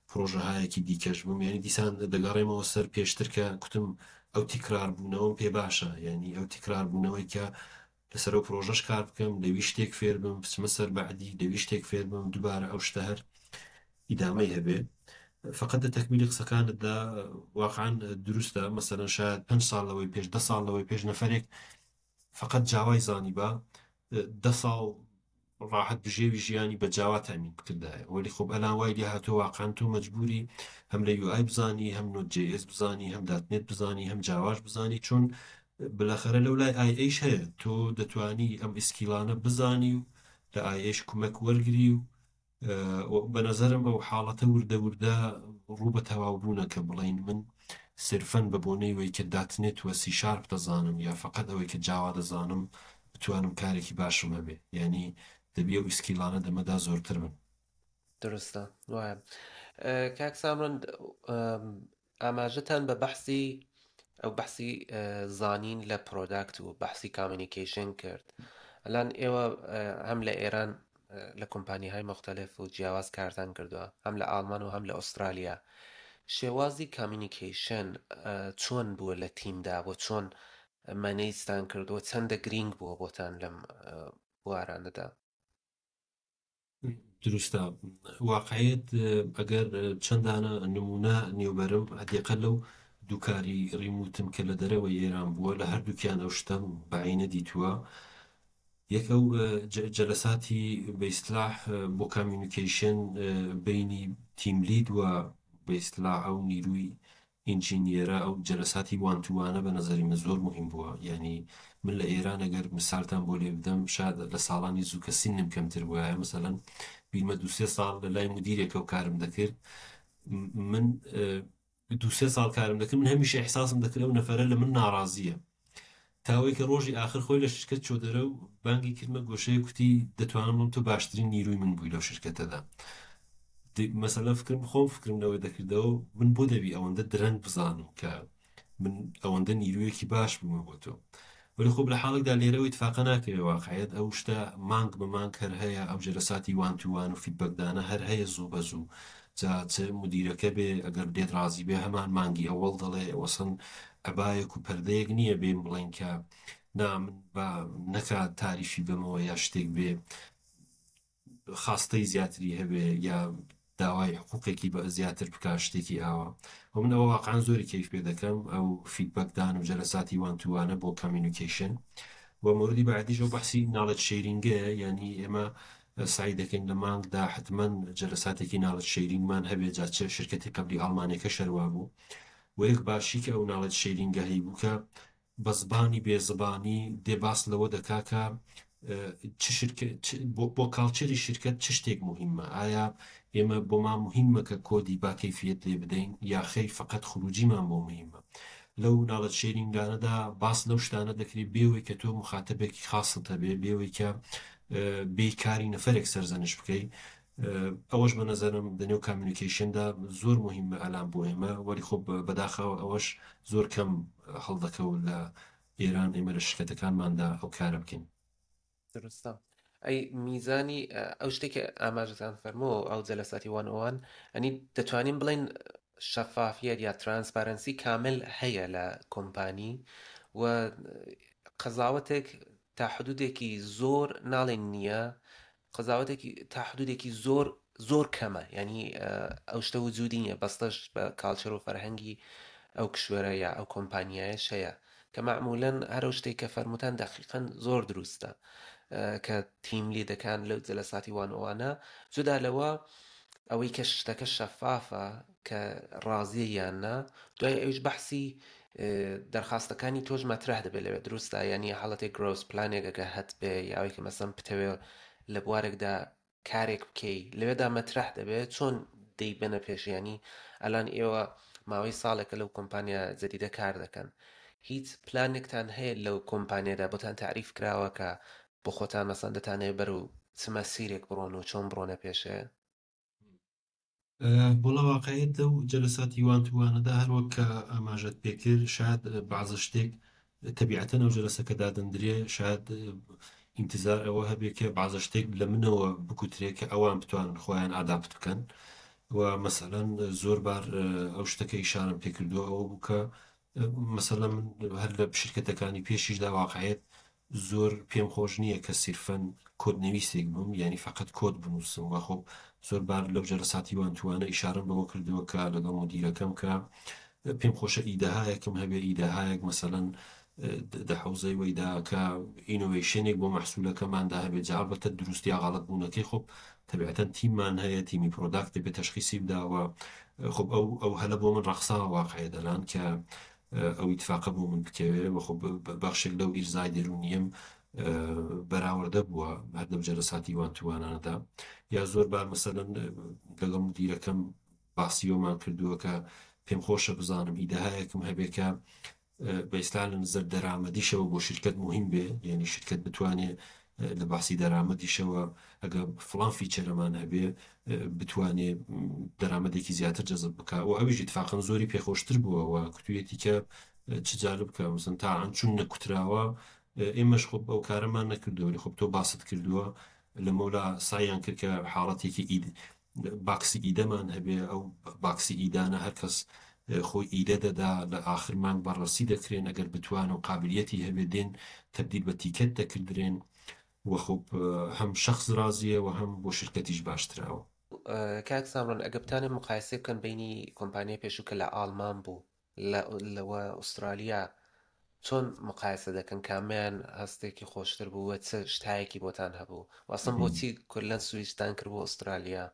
پرۆژەهایەکی دیکەش بم. یعنی دیسان دەگەڕێمەوە سەر پێشتر کە کوتم ئەو تکرار بوونەوەم پێ باشە، یعنی ئەو تکرار بوونەوەی کە لەسەر ئەو پرۆژەش کار بکەم، لەوی شتێک فێر بم، بچمە سەر بەعدی لەوی شتێک فێر بم، دووبارە ئەو شتە هەر ئیدامەی هەبێ. فقط لە تەکمیلی قسەکانتدا واقعا دروستە. مەسەلەن شاید 5 ساڵ لەوەی پێش، 10 ساڵ لەوەی پێش نەفەرێک فقط جاوای زانیبا. 10 ساڵ ڕاحەت بژێوی ژیانی بە جاوا تامین بکردایە. وەلی خۆب ئەلان وای لێ هاتووە واقعەن تۆ مەجبوری هەم لە UI بزانی، هەم Node JS بزانی، هەم .NET بزانی، هەم جاواش بزانی، چون بلاخرە لەو لای ئای ئەیش هەیە تۆ دەتوانی ئەم skill انە بزانی و لە ئای ئەیش کومەک وەرگری و بە نەزەرم ئەو حاڵەتە وردە وردە ڕوو بە تەواو بوونە کە بڵێین من سرفەن بە بۆنەی وەی کە .NET وە سی شارپ دەزانم یا فەقەت ئەوەی کە جاوا دەزانم بتوانم کارێکی باشم هەبێ، یانی دەبی ئەو skill انە دەمەدا زۆرتر بن. دروستە وایە کاک سامرەند ئاماژەتان بە بەحسی ئەو بەحسی زانین لە product و بەحسی communication کرد ئەلان ئێوە هەم لە ئێران لە کۆمپانیهای مختلف و جیاواز کارتان کردووە هەم لە ئاڵمان و هەم لە ئوسترالیا شێوازی communication چۆن بووە لە تیمدا بۆ چۆن manage تان کردووە چەندە گرینگ بووە بۆتان لەم بوارانەدا؟ دروستە واقعیت ئەگەر چەندانە نمونە نێوبەرم هەدیقە لەو دووکاری remote م کە لە دەرەوەی ئێران بووە لە هەردووکیان ئەو شتەم بەعینە دیتووە. یەک ئەو جەلەساتی بە ئیستلاح بۆ communication بینی team lead و بە ئیستلاح ئەو نیروی engineer ە ئەو جەلەساتی one to one ە بە نەزەری من زۆر موهیم بووە یانی من لە ئێران ئەگەر مسالتان بۆ لێ بدەم شاد لە ساڵانی زوو کە سنم کەمتر بوایە مەسەلەن بیرمە دوو سێ ساڵ لە لای مدیرێکەوە کارم دەکرد من دوو سێ ساڵ کارم دەکرد من هەمیشە ئیحساسم دەکرد ئەو نەفەرە لە من ناڕازیە تا ئەوەی کە ڕۆژی ئاخر خۆی لە شرکەت چۆ دەرە و بانگی کردمە گۆشەیەک کوتی دەتوانم بڵێم تۆ باشترین نیروی من بووی لەو شرکەتەدا. مەسەلەن فکرم خۆم فکرم لەوە دەکردەوە من بۆ دەبی ئەوەندە درەنگ بزانم کە من ئەوەندە نیرویەکی باش بوومە بۆ تۆ. وەلی خۆ لە حاڵێکدا لێرەوە ئیتفاقە ناکەوێ واقعیت ئەو شتە مانگ بە مانگ هەر هەیە ئەو جەلەساتی one to one و feedback دانە هەر هەیە زوو بە زوو جا چ مدیرەکە بێ ئەگەر لێت ڕازی بێ هەمان مانگی ئەوەڵ دەڵێ وەسەن عەبایەک و پەردەیەک نییە بێین بڵێین کە نا من با نەکا تاریفی بەمەوە یا شتێک بێ خاستەی زیاتری هەبێ یا داوای حقوقێکی بە زیاتر بکا شتێکی ئاوا و من ئەوە واقعا زۆری کەیف پێ دەکەم ئەو feedback دان و جەلەساتی one to one ە بۆ communication و مۆردی بەعدیش ئەو بەحسی knowledge sharing ە یعنی ئێمە سعی دەکەین لە مانگدا حتمما جەلەساتێکی knowledge sharing مان هەبێ جا چ شرکەتی قبلی ئاڵمانەکە شەروا بوو وە یەک باشی کە ئەو knowledge sharing ە هەیبوو کە بە زبانی بێ زبانی دێ باس لەوە دەکا کە چ شرکە بۆ culture ی شرکەت چ شتێک موهیمە ئایا ئێمە بۆمان موهیمە کە کۆدی با کەیفیەت لێ بدەین یا خەیر فەقەت خروجیمان بۆ موهیمە لەو knowledge sharing انەدا باس لەو شتانە دەکرێت بێوەی کە تۆ مخاتەبێکی خاصت هەبێ بێوەی کە بێ کاری نەفەرێک سەرزەنش بکەی ئەوەش بە نەزەرم دە نێو communication دا زۆر موهیمە ئەلان بۆ ئێمە وەلی خۆ بەداخەوە ئەوەش زۆر کەم هەڵدەکەوت لە ئێران ئێمە لە شرکەتەکانماندا ئەو کارە بکەین. دروستە. ئەی میزانی ئەو شتێک کە ئاماژەتان فەرموو ئەو جەلەساتی one on one ئەنی دەتوانین بڵێن شەفافیەت یا transparency کامل هەیە لە کۆمپانی و قەزاوەتێک تا حدودێکی زۆر ناڵێن نییە قەزاوەتێکی تا حدودێکی زۆر زۆر کەمە یعنی ئەو شتە وجودی نییە بەستەش بە culture و فەرهەنگی ئەو کشوەرە یا ئەو کۆمپانیایەش هەیە کە مەعمولەن هەر ئەو شتێک کە فەرموتان دەقیقەن زۆر دروستە کە team lead ەکان لەو جەلەساتی one on one ە جودا لەوە ئەوەی کە شتەکە شەفافە کە ڕازیە یان نا دوای ئەویش بەحسی دەرخواستەکانی تۆش مەترەح دەبێت لەوێ دروستە یعنی حاڵەتێک growth plan ێک ئەگە هەت بێ یاوەی کە مەسەن بتەوێ لە بوارێکدا کارێک بکەی لەوێدا مەترەح دەبێت چۆن دەیبەنە پێش ینی ئەلان ئێوە ماوەی ساڵێکە لەو کۆمپانیا جدیدە کار دەکەن هیچ پلانێکتان هەیە لەو کۆمپانیادا بۆتان تعریف کراوە کە بۆ خۆتان مەسەن دەتانەوێت بەرەو چ مەسیرێک بڕۆن و چۆن بڕۆنە پێشێ؟ وەڵا واقعیت لەو جەلەساتی one to one ەدا هەر وەک کە ئاماژەت پێکرد شاید بەعزە شتێک تەبیعەتەن ئەو جەلەسە کە دادەندرێ شاید ئینتزار ئەوە هەبێ کە بەعزە شتێک لە منەوە بکوترێ کە ئەوان بتوانن خۆیان adapt بکەن و مەسەلەن زۆر بار ئەو شتە کە ئیشارەم پێکردووە ئەوە بوو کە مەسەلەن من هەر لە شرکەتەکانی پێشیشدا واقعیت زۆر پێم خۆش نییە کە سیرفەن کۆد نویسێک بم یانی فەقەت کۆد بنووسم وە خۆ زۆر بار لەو جەلەساتی one to one ە ئیشارەم بەوە کردووە کە لەگەڵ مدیرەکەم کە پێم خۆشە ئیدەهایەکم هەبێ ئیدەهایەک مەسەلەن. دە حەوزەی وەیدا کە innovation ێک بۆ مەحسوولەکەماندا هەبێت، جا ئەڵبەتە دروست یا غەڵەت بوونەکەی خۆ تەبیعەتەن تیممان هەیە، تیمی product دەبێت تەشخیسی بدا و خۆ ئەو هەلە بۆ من ڕەخساوە واقعێ دەلان کە ئەو ئیتفاقە بۆ من بکەوێ و خۆ بەخشێک لەو ئیرزای دەروونیەم بەراوردە بووە هەر لەو جەلەساتی one to one انەدا. یا زۆر بار مەسەلەن لەگەڵ مدیرەکەم باسی ئەومان کردووە کە پێم خۆشە بزانم ئیدەهایەکم هەبێ کە بە ئیستا لە نظر دەرامەدیشەوە بۆ شرکت مهم بێ، یعنی شرکت بتوانێ لە باسی دەرامەدیشەوە ئەگە فڵان feature ەمان هەبێ بتوانێ دەرامەدێکی زیاتر جەزب بکە و ئەویش اتفاقا زۆری پێخۆشتر بووە و کوتویەتی کە چ جالب بکە مثلا تا ئەن چون نەکوتراوە ئێمەش خۆ ئەو کارەمان نەکردووە، خۆ تۆ باست کردووە لە مەولا سایان کرد کە حاڵەتێکی ئید box ی ئیدەمان هەبێ، ئەو box ی ئیدانە هەر کەس خۆی ئیدە دەدا لە ئاخر مانگ بەڕەسی دەکرێن، ئەگەر بتوان و قابلیەتی هەبێ دێن تەبدیل بە ticket دەکردرێن و خۆ هەم شخص ڕازیە و هەم بۆ شرکەتیش باشتراوە. کاک سامران ئەگە بتانێ مقایسە بکەن بینی کۆمپانیای پێشوو کە لە ئاڵمان بوو لە ئوسترالیا چۆن مقایسە دەکەن کامیان هەستێکی خۆشتر بوو و چ شتایەکی بۆتان هەبوو و ئەسڵەن بۆچی کولەن سویچتان کرد بۆ ئوسترالیا؟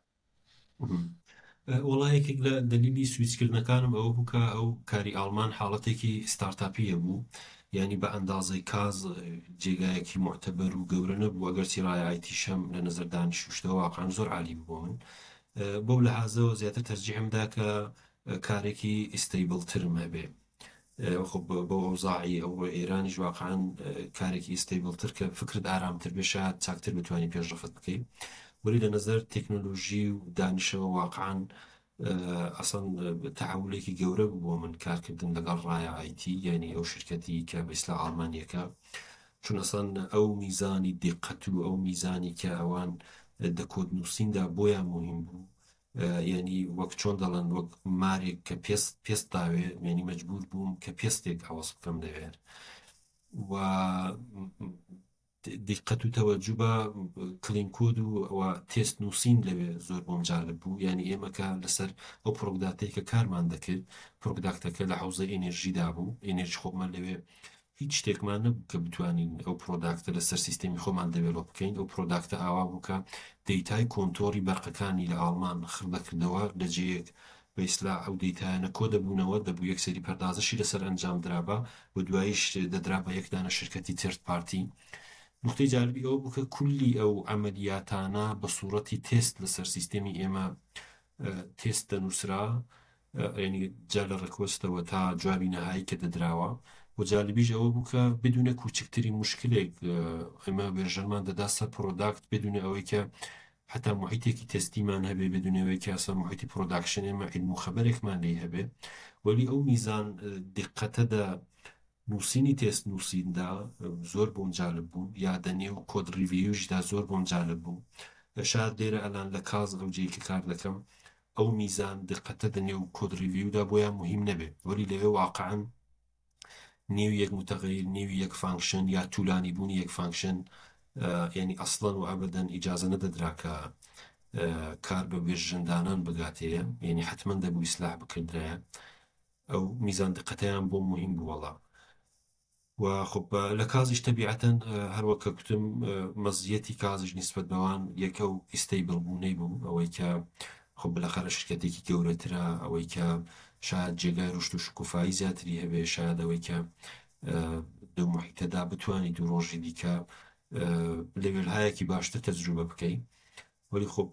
وەڵا یەکێک لە دەلیلی سویچکردنەکانم ئەوە بوو کە ئەو کاری ئاڵمان حاڵەتێکی ستارتاپیە بوو، یعنی بە ئەندازەی کاز جێگایەکی معتەبەر و گەورە نەبوو، ئەگەرچی ڕای ئایتیشەم لە نظر دانیشوشتەوە واقعا زۆر عالی بوو بۆ من. بەو لەحازەوە زیاتر تەرجیحم دا کە کارێکی stable ترم هەبێ. خۆ بەو ئەوزاعی ئەوڕۆ ئێرانیش واقعا کارێکی stable تر کە فکرت ئارامتر بێ شاید چاکتر بتوانانی پێشڕەفت بکەی. وەلی لە نظر تەکنۆلۆژی و دانیشەوە واقعا ئەسڵەن تەحولێکی گەورە بوو بۆ من کارکردن لەگەڵ ڕایە ئایتی، یعنی ئەو شرکەتی کە بە ئیسلا ئاڵمانیەکە، چون ئەسڵەن ئەو میزانی دیقەت و ئەو میزانی کە ئەوان دە کۆد نووسیندا بۆیان مهم بوو، یعنی وەک چۆن دەڵێن وەک مارێک کە پێست داوێ، یعنی مەجبور بووم کە پێستێک عەوەز بکەم لەوێ و دیقەت و تەوەجو بە clean code و تێست نووسین لەوێ زۆر بۆم جالب بوو. یعنی ئێمە کە لەسەر ئەو product ەی کە کارمان دەکرد، product ەکە لە حوزەی ئێنێرژیدا بوو، ئێنێرژی خۆمان لەوێ هیچ شتێکمان نەبوو کە بتوانین ئەو product ە لەسەر سیستەمی خۆمان develop بکەین. ئەو product ە ئاوا بوو کە data ی کۆنتۆری بەرقەکانی لە ئاڵمان خڕ دەکردەوە لە جێیەک بە ئیسلاح ئەو data یانە کۆ دەبوونەوە، دەبوو یەک سەری پەردازشی لەسەر ئەنجام درابا و دواییش دەدرا بە یەک دانە شرکەتی third party. نقطەی جالبی ئەوە بوو کە کولی ئەو عەمەلیاتانە بە سوورەتی تێست لەسەر سیستەمی ئێمە تێست دەنووسرا، یعنی جا لە request ەوە تا جوابی نەهایی کە دەدراوە. و جالبیش ئەوە بوو کە بدونە کوچکترین مشکلێک ئێمە version مان دەدا سەر product بدونە ئەوەی کە حتا محیتێکی تێستیمان هەبێ، بدون ئەوەی کە ئەسڵا محیتی production ئێمە علم و خەبەرێکمان لێی هەبێ. وەلی ئەو میزان دقەتەدا نووسینی تێست نووسیندا زۆر بۆم جالب بوو، یا دەنێو code review شدا زۆر بۆم جالب بوو. شاید لێرە ئەلان لە کاز ئەو جێی کە کار دەکەم ئەو میزان دقەتە دەنێو code review دا بۆیان مهم نەبێ، وەلی لەوێ واقعا نێو یەک متغیر، نێو یەک function یا طولانی بوونی یەک function، یعنی ئەسڵەن و ئەبەدەن ئیجازە نەدەدرا کە کار بە version دانان بگاتەیە، یعنی حتمما دەبوو ئیسلاح بکردرایە. ئەو میزان دقەتەیان بۆ مهم بوو وەڵا. و خب لە کازیش تەبیعەتەن هەروەک کە گوتم مەزیەتی کازیش نسبەت بەوان یەکە و stable بوونەی بوو، ئەوەی کە خب بالاخرە شرکەتێکی گەورەترە، ئەوەی کە شاید جێگای ڕشت و شکوفایی زیاتری هەبێ، شاید ئەوەی کە دو محیتەدا بتوانی دوو ڕۆژی دیکە level هایەکی باشتر تەجروبە بکەی. وەلی خب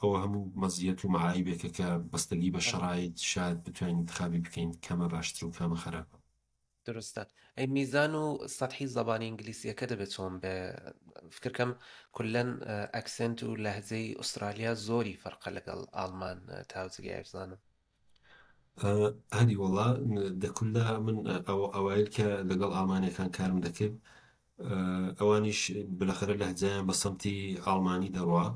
ئەوە هەموو مەزیەت و معایبێکە کە بەستەگی بە شەرایط شاید بتوانین انتخابی بکەین کەمە باشتر و کامە خراپە. درستە. ئەی میزان و سەتحی زبانی ئینگلیسیەکە دەبێت چۆن بێ؟ فکرکەم کولەن accent و لەهجەی ئوسترالیا زۆری فەرقە لەگەڵ ئاڵمان تاوجگای بزانم. هەری وەڵا دەکوللا من ئەو ئەوایل کە لەگەڵ ئاڵمانیەکان کارم دەکرد، ئەوانیش بالاخرە لەهجەیان بە سەمتی ئاڵمانی دەڕوا،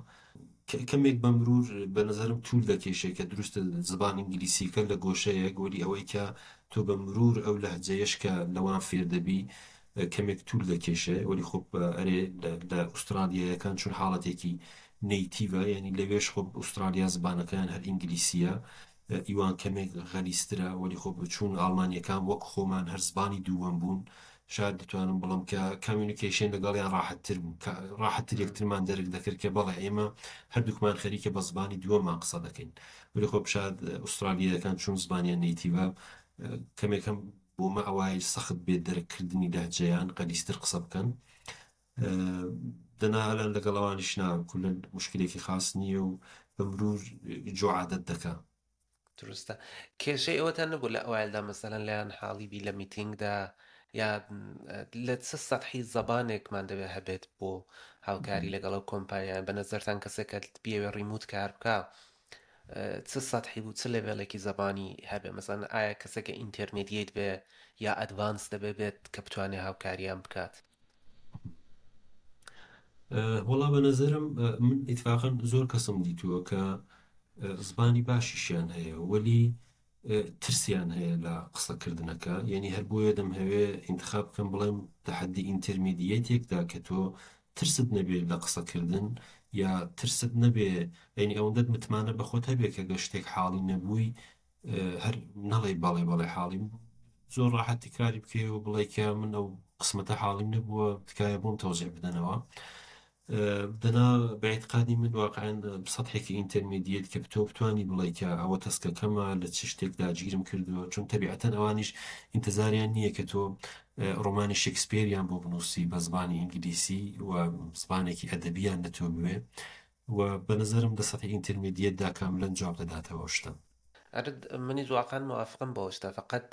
کەمێک بە مرور بە نظرم طول دەکێشێ کە دروستە زبان ئینگلیسیەکە لە گۆشەیەک، وەلی ئەوەی کە تۆ بە مرور ئەو لەهجەیەش کە لەوان فێر دەبی کەمێک طول دەکێشێ. وەلی خۆ ئەرێ لە ئوسترالیایەکان چون حاڵەتێکی native ە، یعنی لەوێش خۆ ئوسترالیا زبانەکەیان هەر ئینگلیسیە، ئیوان کەمێک غەلیسترە. وەلی خۆ چون ئاڵمانیەکان وەک خۆمان هەر زبانی دووەم بوون، شاید دەتوانم بڵێم کە communication لەگەڵیان ڕاحەتتر بوو، کە ڕاحەتتر یەکترمان دەرک دەکرد کە بەڵێ ئێمە هەردووکمان خەریکە بە زبانی دووەمان قسە دەکەین. وەلی خۆ شاید ئوسترالییەکان چون زبانیان native ە کەمێکم بۆ مە ئەوای سەخت بێت دەرککردنی لەهجەیان غەلیزتر قسە بکەن. دەنا ئەلان لەگەڵ ئەوانیش نا کولەن مشکلێکی خاس نییە و بە مرور جۆ عادەت دەکا. دروستە. کێشەی ئەوەتان نەبوو لە ئەوایلدا مەسەلەن لێیان حاڵی بی لە میتینگدا یا لە چ سەتحی زەبانێکمان دەبێ هەبێت بۆ هاوکاری لەگەڵ ئەو کۆمپانیایان بە نەزەرتان کەسێک کە بیەوێ remote کار بکا چ سەتحی بوو چ level ێکی زەبانی هەبێ مەسەلەن ئایا کەسێکە intermediate بێ یا advanced دەبێ بێت کە بتوانێ هاوکاریان بکات؟ وەڵا بە نەزەرم من ئیتفاقەن زۆر کەسم دیتووە کە زبانی باشیشیان هەیە وەلی ترسیان هەیە لە قسەکردنەکە، یعنی هەر بۆیە دەمهەوێ ئینتخاب بکەم بڵێم تەحەدی intermediate ێکدا کە تۆ ترست نەبێ لە قسەکردن یا ترست نەبێ، یعنی ئەوەندەت متمانە بە خۆت هەبێ کە گەر شتێک حاڵی نەبووی هەر نەڵێی بەڵێ بەڵێ حاڵیم، زۆر ڕاحەت تکراری بکەی و بڵێ کە من ئەو قسمەتە حاڵیم نەبووە تکایە بۆم تەوزیع بدەنەوە. دەنا بە ئیعتقادی من واقعا سەتحێکی intermediate کە تۆ بتانی بڵێ کە ئەوە task ەکەمە لە چ شتێکدا گیرم کردووە، چون تەبیعەتەن ئەوانیش ئینتەزاریان نییە کە تۆ ڕۆمانی شکسپیریان بۆ بنووسی بە زمانی ئینگلیسی و زمانێکی ئەدەبیان لە تۆ بوێ و بە نەزەرم دە سەتحی intermediate دا کاملەن جواب دەداتەوە ئەو شتە. ئەرە منیش واقعا موافقم بەو شتە، فەقەت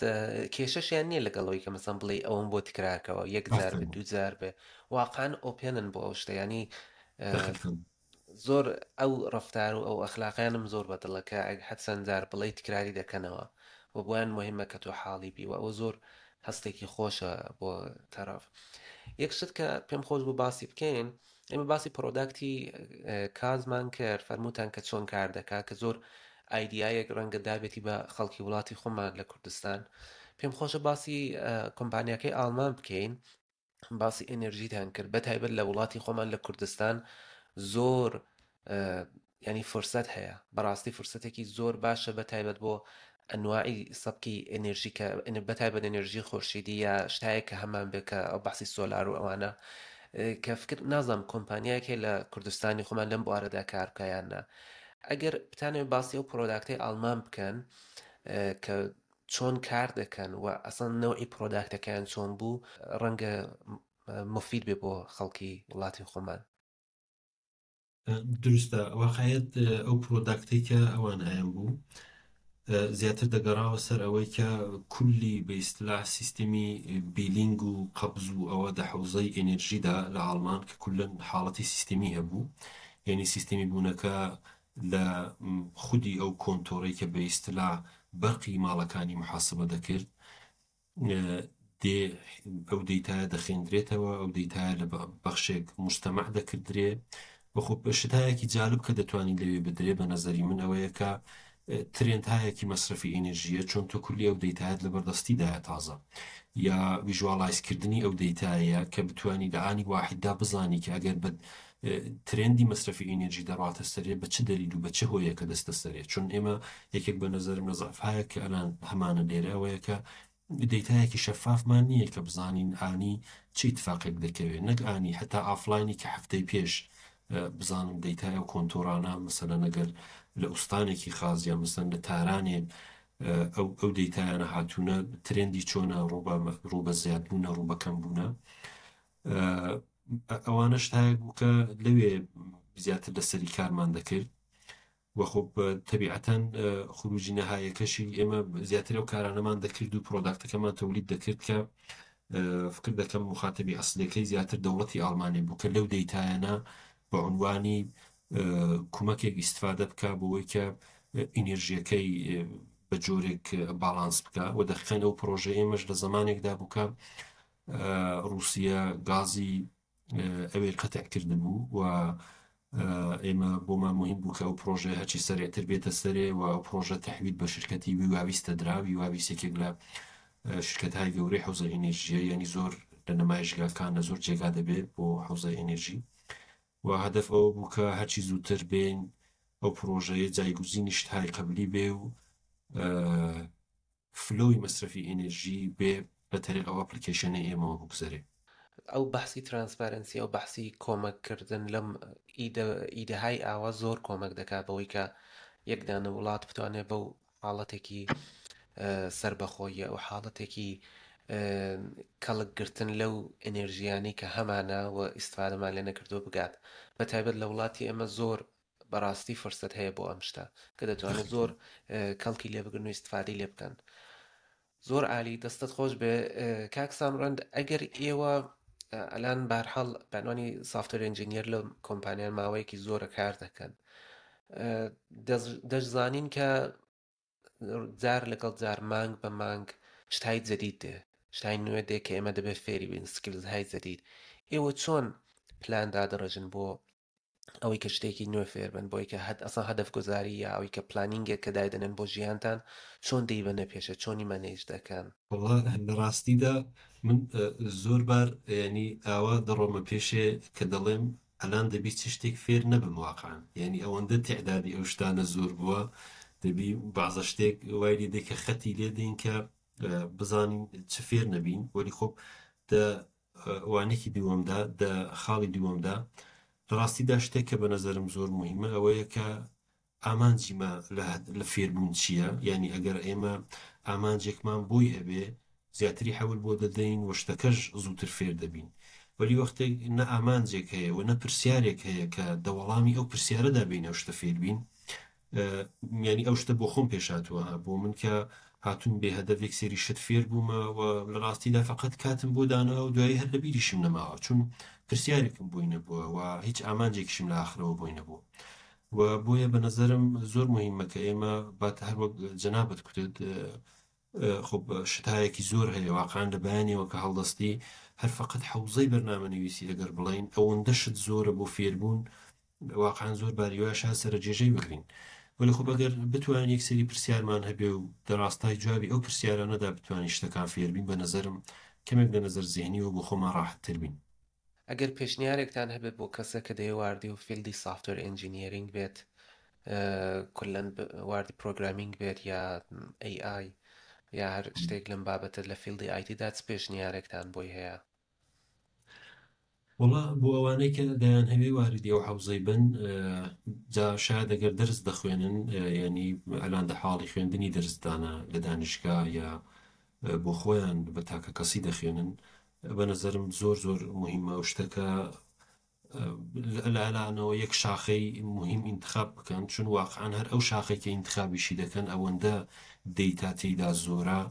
کێشەشیان نییە لەگەڵ ئەوەی کە مەسەن بڵێی ئەوەم بۆ تکرارکەوە یەک جار بێ ئافەرین. دوو جار بێ واقعا open ن بۆ ئەو شتە یانی دقیقاً. زۆر ئەو ڕەفتار و ئەو ئەخلاقیانم زۆر بەدڵە کە هەر چەند جار بڵێی تکراری دەکەنەوە و بۆیان مهمە کە تۆ حاڵی بی و ئەوە زۆر هەستێکی خۆشە بۆ تەرەف. یەک شت کە پێم خۆش بوو باسی بکەین ئێمە باسی product ی کازمان کرد فەرمووتان کە چۆن کار دەکا کە زۆر idea یەک ڕەنگە دابێتی بە خەڵکی وڵاتی خۆمان لە کوردستان پێم خۆشە باسی کۆمپانیاکەی ئاڵمان بکەین باسی ئەنرژیتان کرد بە تایبەت لە وڵاتی خۆمان لە کوردستان زۆر ینی فرسەت هەیە بەڕاستی فرسەتێکی زۆر باشە بە تایبەت بۆ ئەنواعی سەبکی ئەنرژی کە بە تایبەت ئەنرژی خۆرشیدی یا شتایەک کە هەمان بێ کە ئەو بەحسی سۆلار و ئەوانە کە فکر نازانم کۆمپانیایەک هەیە لە کوردستانی خۆمان لەم بوارەدا کار بکە یان نا ئەگەر بتانەوێت باسی ئەو product ەی ئاڵمان بکەن کە چۆن کار دەکەن و ئەسڵەن نەوعی product ەکەیان چۆن بوو ڕەنگە مفید بێ بۆ خەڵکی وڵاتی خۆمان. دروستە واقعیت ئەو product ەی کە ئەوان هەیان بوو زیاتر دەگەڕاوە سەر ئەوەی کە کولی بە ئیستلاح سیستمی billing و قەبز و ئەوە دە حەوزەی ئێنێرژیدا لە ئاڵمان کە کولەن حاڵەتی سیستمی هەبوو، یەنی سیستمی بوونەکە لە خودی ئەو کۆنتۆرەی کە بە ئیستلاح بەرقی ماڵەکانی محاسبە دەکرد دێ ئەو دەیتایە دەخێندرێتەوە، ئەو دەیتایە لە بەخشێک مجتەمع دەکردرێ و خۆ شتایەکی جالب کە دەتوانین لەوێ بدرێ بە نەزەری من ئەوەیە کە trend هایەکی مەسرەفی ئێنێرژیە، چۆن تۆ کولی ئەو دەیتایەت لەبەردەستیدایە تازە یا visualize کردنی ئەو دەیتایە کە بتانی لە ئانی واحددا بزانی کە ئەگەر بە trend ی مەسرەفی ئێنێرژی دەڕاتە سەرێ بە چ دەلیل و بە چ هۆیەکە دەستە سەرێ. چون ئێمە یەکێک بە نەزەرم لە زەعفایە کە ئەلان هەمانە لێرە ئەوەیە کە دەیتایەکی شەفافمان نییە کە بزانین ئانی چی اتفاقێک دەکەوێت، نەک ئانی حتا offline ی کە هەفتەی پێش بزانم دەیتای ئەو کۆنتۆرانە مەسەلەن ئەگەر لە ئوستانێکی خاص یا مەسەلەن لە تارانێ ئەو دەیتایانە هاتوونە trend ی چۆنە، ڕوو بە زیادبوونە ڕوو بە کەم بوونە. ئەوانە شتایەک بوو کە لەوێ زیاتر لەسەری کارمان دەکرد و خۆ تەبیعەتەن خروجی نەهایەکەشی ئێمە زیاتر ئەو کارانەمان دەکرد و product ەکەمان تەولید دەکرد کە فکر دەکەم مخاتبی ئەسلەکەی زیاتر دەوڵەتی ئاڵمانی بوو کە لەو دەیتایانە بە عنوانی کومەکێک ئیستفادە بکە بۆ ئەوەی کە ئینێرژیەکەی بە جۆرێک باڵانس بکە. و دەقیقەن ئەو پرۆژە ئێمەش لە زمانێکدا بوو کە ڕووسیە گازی ئەوێ قەتع کردبوو و ئێمە بۆمان مهم بوو کە ئەو پرۆژەیە هەرچی سەرێتر بێتە سەرێ و ئەو پرۆژە تەحویل بە شرکەتی ویواویستە درا. ویواویست یەکێک لە شرکەتهای گەورەی حوزە ئێنێرژیە، یعنی زۆر لە نمایشگاکان لە زۆر جێگا دەبێت بۆ حوزە ئێنێرژی و هەدەف ئەوە بوو کە هەرچی زووتر بێن ئەو پرۆژەیە جایگوزینی شتهای قبلی بێ و flow ی مەسرەفی ئێنێرژی بێ. لە تەریق ئەو application ەی ئێمەوە بگوزەرێ. ئەو بەحسی transparency ئەو بەحسی کۆمەک کردن لەم ئیدە ئیدەهای ئاوا زۆر کۆمەک دەکات بەوەی کە یەک دانە وڵات بتوانێت بەو حاڵەتێکی سەربەخۆیە و حاڵەتێکی کەڵک گرتن لەو ئەنێرژیانەی کە هەمانە و ئیسفادەمان لێ نەکردووە بگات بە تایبەت لە وڵاتی ئێمە زۆر بەڕاستی فرسەت هەیە بۆ ئەم شتە کە دەتوانێت زۆر کەڵکی لێ بگرن و ئیسفادەی لێ بکەن. زۆر عالی دەستت خۆش بێ کاک سامرەند ئەگەر ئێوە ئەلان بارحاڵ بەنوانی software engineer لە کۆمپانیان ماوەیەکی زۆرە کار دەکەن دەشزانین کە جار لەگەڵ جار مانگ بە مانگ شتای جدید دێ شتای نوێ دێ کە ئێمە دەبێت فێری بین skills های جدید ئێوە چۆن پلان دادەڕێژن بۆ ئەوەی کە شتێکی نوێ فێر بن بۆی کە هەد ئەسا هەدەف گوزاری یا ئەوەی کە planning ێک کە دایدەنێن بۆ ژیانتان چۆن دەیبەنە پێشە چۆنی manage دەکەن؟ وەڵا لە ڕاستیدا من زۆر بار یانی ئاوا دەڕۆمە پێشێ کە دەڵێم ئەلان دەبی چ شتێک فێر نەبم واقعەن یانی ئەوەندە تیعدادی ئەو شتانە زۆر بووە دەبی بەعزە شتێک وای لێ دێ کە خەتی لێ دێین کە بزانین چ فێر نەبین وەلی خۆ دە وانێکی دووەمدا دە خاڵی دووەمدا لە ڕاستیدا شتێک کە بە نەزەرم زۆر موهیمە ئەوەیە کە ئامانجی مە لە فێربوون چییە یانی ئەگەر ئێمە ئامانجێکمان بۆی هەبێ زیاتری حەول بۆ دەدەین و شتەکەش زووتر فێر دەبین وەلی وەختێک نە ئامانجێک هەیە و نە پرسیارێک هەیە کە دە وەڵامی ئەو پرسیارەدا بین ئەو شتە فێر بین یانی ئەو شتە بۆ خۆم پێش هاتووە ها بۆ من کە هاتووم بێ هەدەفێک سێری شت فێر بوومە و لە ڕاستیدا فقط کاتم بۆ داناوە و دوایی هەر لە بیریشم نەماوە چون پرسیارێکم بۆی نەبووە و هیچ ئامانجێکیشم لە ئاخرەوە بۆی نەبوو و بۆیە بە نەزەرم زۆر مهمە کە ئێمە بات هەر وەک جەنابت کوتت خۆ شتایەکی زۆر هەیە واقعا لە بەیانیەوە کە هەڵدەستی هەر فقط حەوزەی بەرنامەنویسی ئەگەر بڵێین ئەوەندە شت زۆرە بۆ فێربوون واقعا زۆر باری وایە شاید سەرەجێژەی بگرین وەلی خۆ ئەگەر بتوانین یەک سەری پرسیارمان هەبێ و دەڕاستای جوابی ئەو پرسیارانەدا بتوانین شتەکان فێربین بە نەزەرم کەمێک لە نەزەر زیهنیەوە بۆ خۆمان ڕاحەتتر بین. ئەگەر پێشنیارێکتان هەبێت بۆ کەسێک کە دەیەوێت واردی و field ی software engineering بێت کولەن واردی programming بێت یا AI یا هەر شتێک لەم بابەتە لە field ی IT دا چ پێشنیارێکتان بۆی هەیە؟ وەڵا بۆ ئەوانەی کە دەیانهەوێ واردی ئەو حەوزەی بن جا شاید ئەگەر دەرس دەخوێنن یعنی ئەلان دە حاڵی خوێندنی دەرسدانە لە دانیشگا یا بۆ خۆیان بە تاکە کەسی دەخوێنن بە نەزەرم زۆر زۆر مهمە ئەو شتە کە لە ئەلانەوە یەک شاخەی مهم ئینتخاب بکەن چون واقعا هەر ئەو شاخەی کە ئینتخابیشی دەکەن ئەوەندە دەیتا تێیدا زۆرە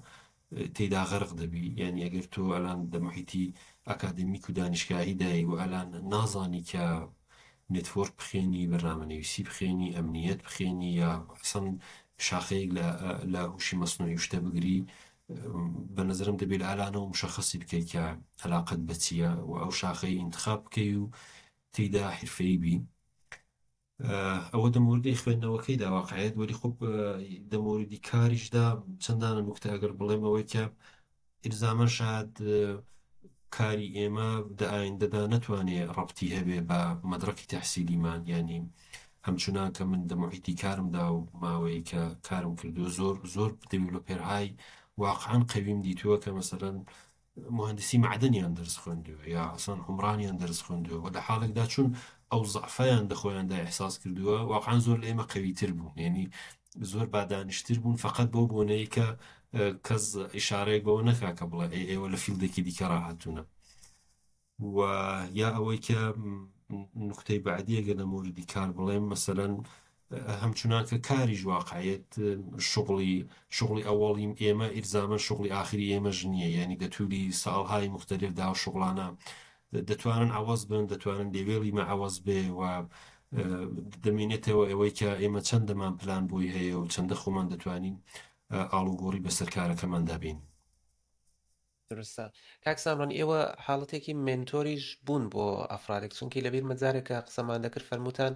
تێیدا غەرق دەبی یانی ئەگەر تۆ ئەلان دە محیتی ئەکادمیک و دانیشگاهی دای و ئەلان نازانی کە network بخێنی بەرنامەنویسی بخێنی ئەمنیەت بخێنی یا ئەسڵەن شاخەیەک لە لە هوشی مەسنوعی و شتە بگری بە نظرم دەبێت لە ئالانەوە مشخصی بکەیت کە علاقەت بە چییە و ئەو شاخەی ئینتخاب بکەی و تێیدا حرفەیی بی ئەوە دە مۆردی خوێندنەوەکەیدا واقعیت وەلی خۆ دە مۆردی کاریشدا چەندانە نوکتە ئەگەر بڵێم ئەوەی کە ئیلزامەن شاید کاری ئێمە دە ئایندەدا نەتوانێ ڕەبتی هەبێ بە مەدرەکی تەحسیلیمان یانی هەمچونان کە من دە محیتی کارمدا و ماوەیە کە کارم کردو زۆر زۆر developer های واقعا قەویم دیتووە کە مەسەلەن مهندسی معدنیان دەرس خوێندووە یا ئەسڵەن عومرانیان دەرس خوێندووە و لە حاڵێکدا چون ئەو زەعفیان دە خۆیاندا ئیحساس کردووە واقعا زۆر لە ئێمە قەویتر بوون یعنی زۆر بادانشتر بوون فقط بەو بۆنەیە کە کەس ئیشارەیەک بەوە نەکا کە بڵێ ئەی ئێوە لە field ێکی دیکە ڕاهاتوونە و یا ئەوەی کە نوکتەی بەعدی ئەگەر لە مۆردی کار بڵێم مەسەلەن هەمچونان کە کاریش واقعیت شغڵی شغڵی ئەوەڵی ئێمە ئیلزامەن شغڵی ئاخری ئێمەش نییە یعنی دە تولی ساڵهای مختلف دا شغڵانە دەتوانن عەوەز بن دەتوانن لێوێڵی مە عەوەز بێ و دەمێنێتەوە ئەوەی کە ئێمە چەندەمان پلان بۆی هەیە و چەندە خۆمان دەتوانین ئاڵوگۆڕی بەسەر کارەکەماندا بێنین. دروستە کاک سامران ئێوە حاڵەتێکی mentor یش بوون بۆ ئەفرادێک چونکی لەبیرمە جارێک کە قسەمان دەکرد فەرمووتان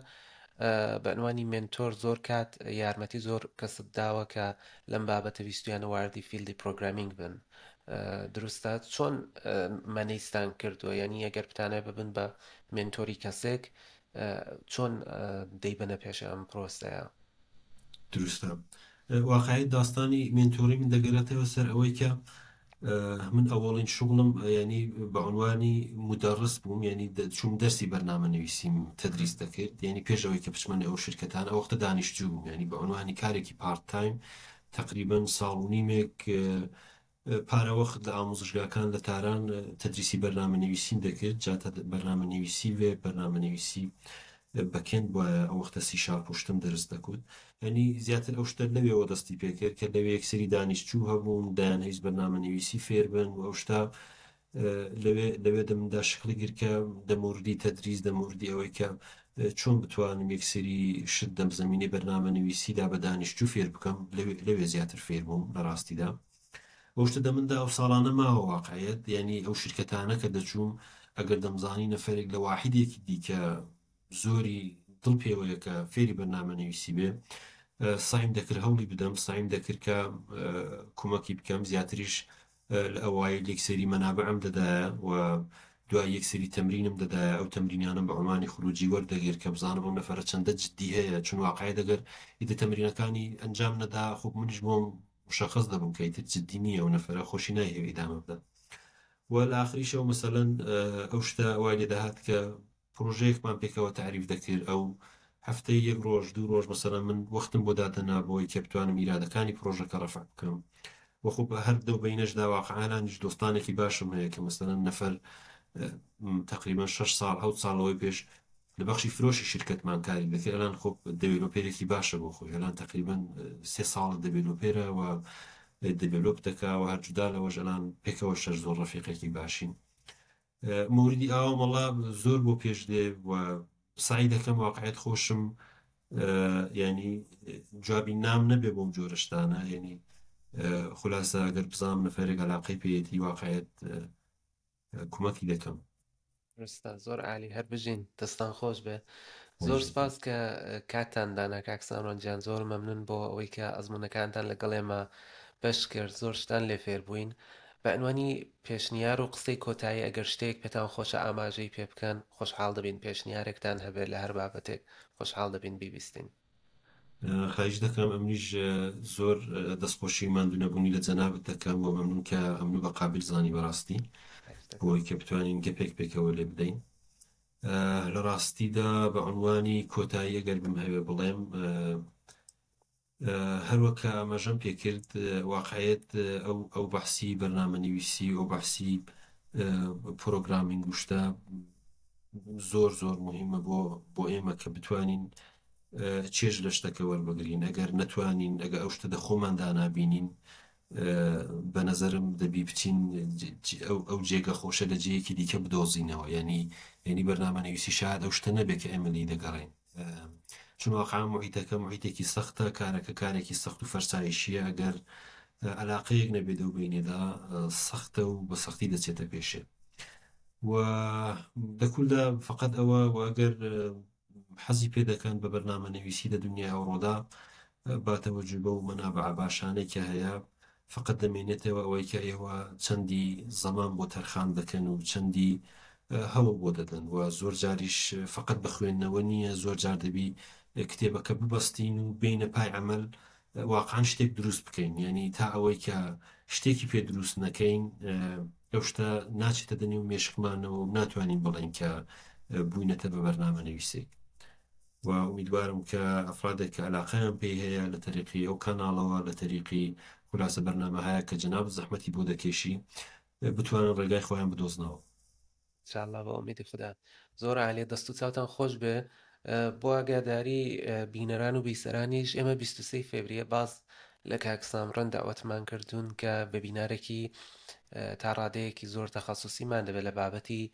بە عنوانی mentor زۆر کات یارمەتی زۆر کەست داوە کە لەم بابەتە ویستویانە واردی field ی programming بن دروستە چۆن manage تان کردووە یعنی ئەگەر بتانەوێت ببن بە mentor ی کەسێک چۆن دەیبەنە پێش ئەم پرۆسەیە؟ دروستە واقعی داستانی mentor ی من دەگەرێتەوە سەر ئەوەی کە. من ئەوەڵین شوغڵم یانی بە عنوانی مدەڕس بووم یانی چووم دەرسی بەرنامە نویسیم تدریس دەکرد یانی پێش ئەوەی کە بچمە نێو ئەو شرکەتانە ئەو وەختە دانیشتجوو بووم یانی بە عنوانی کارێکی part time تقریبا ساڵ و نیمێک پارە وەخت لە ئاموزشگاکان لە تاران تدریسی بەرنامە نویسیم دەکرد جا بەرنامە نویسی وێب بەرنامە نویسی backend بوایە ئەو وەختە سی شارپ و شتم دەرس دەکوت یانی زیاتر ئەو شتە لەوێوە دەستی پێکرد کە لەوێ یەکسری دانیشتوو هەبوون دەیانهەویست بەرنامە نویسی فێر بن و ئەو شتە لەوێ لەوێ دەمدا شکڵی گرت کە دەموردی تەدریس دەموردی ئەوەی کە چۆن بتوانم یەکسری شت دەم زمینەی بەرنامە نویسیدا بە دانیشتوو فێر بکەم لەوێ زیاتر فێر بووم لە ڕاستیدا ئەو شتە دەمندا ئەو ساڵانە ماوە واقعیت یعنی ئەو شرکەتانە کە دەچووم ئەگەر دەمزانی نەفرێک لە واحدێکی دیکە زۆری دڵ پێوەیە کە فێری بەرنامە نویسی بێ سایم دەکرد هەوڵی بدەم سایم دەکرد کە کومەکی بکەم زیاتریش لە ئەوایل یەک سەری مەنابعم دەدایە و دوای یەک سەری تەمرینم دەدایە ئەو تەمرینانم بە عمانی خروجی وەردەگرت کە بزانم ئەو نەفەرە چەندە جدی هەیە چون واقعی دەگەر ئیدە تەمرینەکانی ئەنجام نەدا خۆ منیش بۆم مشخص دەبووم کە ئیتر جدی نییە ئەو نەفەرە خۆشی نایهەوێ ئیدامە بدا و لە ئاخریشەوە مەسەلەن ئەو شتە وای لێ دەهات کە پرۆژەیەکمان پێکەوە تەعریف دەکرد ئەو هەفتەی یەک ڕۆژ دوو ڕۆژ مەسەلەن من وەختم بۆ دادەنا بۆی کە بتوانم ئیرادەکانی پرۆژەکە ڕەفع بکەم وە خۆ هەر دەو بەینەشدا واقعانانیش دۆستانێکی باشم هەیە کە مەسەلەن نەفەر تقریبا 6 ساڵ 7 ساڵەوەی پێش لە بەخشی فرۆشی شرکەتمان کاری دەکرد ئەلان خۆ developer ێکی باشە بۆ خۆی ئەلان تقریبا سێ ساڵ developer ە و develop دەکا و هەر جودا لەوەش ئەلان پێکەوە شەش زۆر ڕەفیقێکی باشین مۆردی ئاوام وەڵا زۆر بۆ پێش دێ و سەعی دەکەم واقعیت خۆشم ینی جوابی نام نەبێ بۆم جۆرە شتانە ینی خولاسە ئەگەر بزانم نەفەرێک علاقەی پێیەتی واقعیت کومەکی دەکەم. دروستە زۆر عالی هەر بژین دەستان خۆش بێ زۆر سپاس کە کاتتان دانا کاک سامران گیان زۆر مەمنون بۆ ئەوەی کە ئەزمونەکانتان لەگەڵ ئێمە بەش کرد زۆر شتان لێ فێر بووین بە عنوانی پێشنیار و قسەی کۆتایی ئەگەر شتێک پێتان خۆشە ئاماژەی پێ بکەن خۆشحاڵ دەبین پێشنیارێکتان هەبێت لە هەر بابەتێک خۆشحاڵ دەبین بیبیستین. خاهیش دەکەم ئەمنیش زۆر دەستخۆشی ماندوو نەبوونی لە جەنابت دەکەم و مەمنون کە ئەمنو بە قابل زانی بەڕاستی بۆی کە بتوانین گەپێک پێکەوە لێ بدەین لە ڕاستیدا بە عنوانی کۆتایی ئەگەر بمهەوێ بڵێم هەروەک کە ئاماژەم پێکرد واقعیت ئەو ئەو بەحسی بەرنامە نویسی ئەو بەحسی programming و شتە زۆر زۆر مهمە بۆ بۆ ئێمە کە بتوانین چێژ لە شتەکە وەربگرین ئەگەر نەتوانین ئەگە ئەو شتە دە خۆماندا نابینین بە نەزەرم دەبی بچین ئەو جێگە خۆشە لە جێیەکی دیکە بدۆزینەوە یعنی یعنی بەرنامە نویسی شاید ئەو شتە نەبێت کە ئێمە لێی دەگەڕێین چون واقعا محیتەکە محیتێکی سەختە کارەکە کارێکی سەخت و فەرسایشیە ئەگەر علاقەیەک نەبێت لەو بینێدا سەختە و بە سەختی دەچێتە پێشێ و دەکولدا فقط ئەوە و ئەگەر حەزی پێ دەکەن بە بەرنامە نویسی لە دنیای ئەوڕۆدا با تەوەجو بەو مەنابعە باشانەی کە هەیە فقط دەمێنێتەوە ئەوەی کە ئێوە چەندی زەمان بۆ تەرخان دەکەن و چەندی هەوڵ بۆ دەدەن و زۆر جاریش فقط بە خوێندنەوە نییە زۆر جار دەبی کتێبەکە ببەستین و بینە پای عمل واقعا شتێک دروست بکەین یعنی تا ئەوەی کە شتێکی پێ دروست نەکەین ئەو شتە ناچێتە دەنێو مێشکمانەوە و ناتوانین بڵێین کە بووینەتە بە بەرنامە نویسێک و ئومیدوارم کە ئەفرادێک کە علاقەیان پێی هەیە لە تەریقی ئەو کاناڵەوە لە تەریقی خولاسە بەرنامە هەیە کە جەنابت زەحمەتی بۆ دەکێشی بتوانن ڕێگای خۆیان بدۆزنەوە. ان شاء اللە بە ئومیدی خودا. زۆر عالیە دەست و چاوتان خۆش بێ بۆ ئاگاداری بینەران و بیسەرانیش ئێمە 23 فێبریە باز لە کاک سامڕەن داوەتمان کردوون کە webinar ێکی تا ڕادەیەکی زۆر تەخەسوسیمان دەبێت لە بابەتی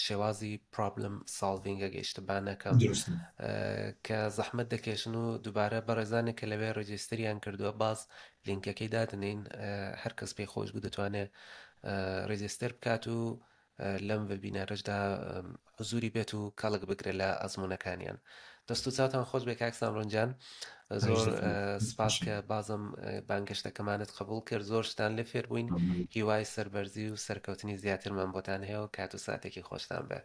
شێوازی problem solving ە گەیشتبان نەکەم کە زەحمت دەکێشن و دووبارە بەڕێزانێک کە لەوێ register یان کردووە باز لینکەکەی دادنین هەر کەس پێی خۆش بوو دەتوانێت register بکات و لەم webinar ەشدا حزوری بێت و کەڵک بگرێت لە ئەزمونونەکانیان. دەست و چاوتان خۆش بێ کاک سامرۆن جان زۆر سپاس کە بازم بانگەشتەکەمانت قبول کرد زۆر شتان لێ فێر بووین هیوای سەربەرزی و سەرکەوتنی زیاترمان بۆتان هەیە و کات و ساتێکی خۆشتان بێ.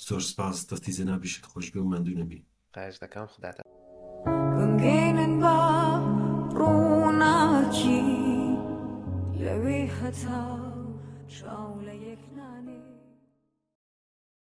زۆر سپاس دەستی جەنابیشت خۆش بێ و ماندوو نەبی. خواهش دەکەم خوداتان. بمگەینن بە ڕووناکی لەوێ. هەتاو چاو لە یەک نانێ.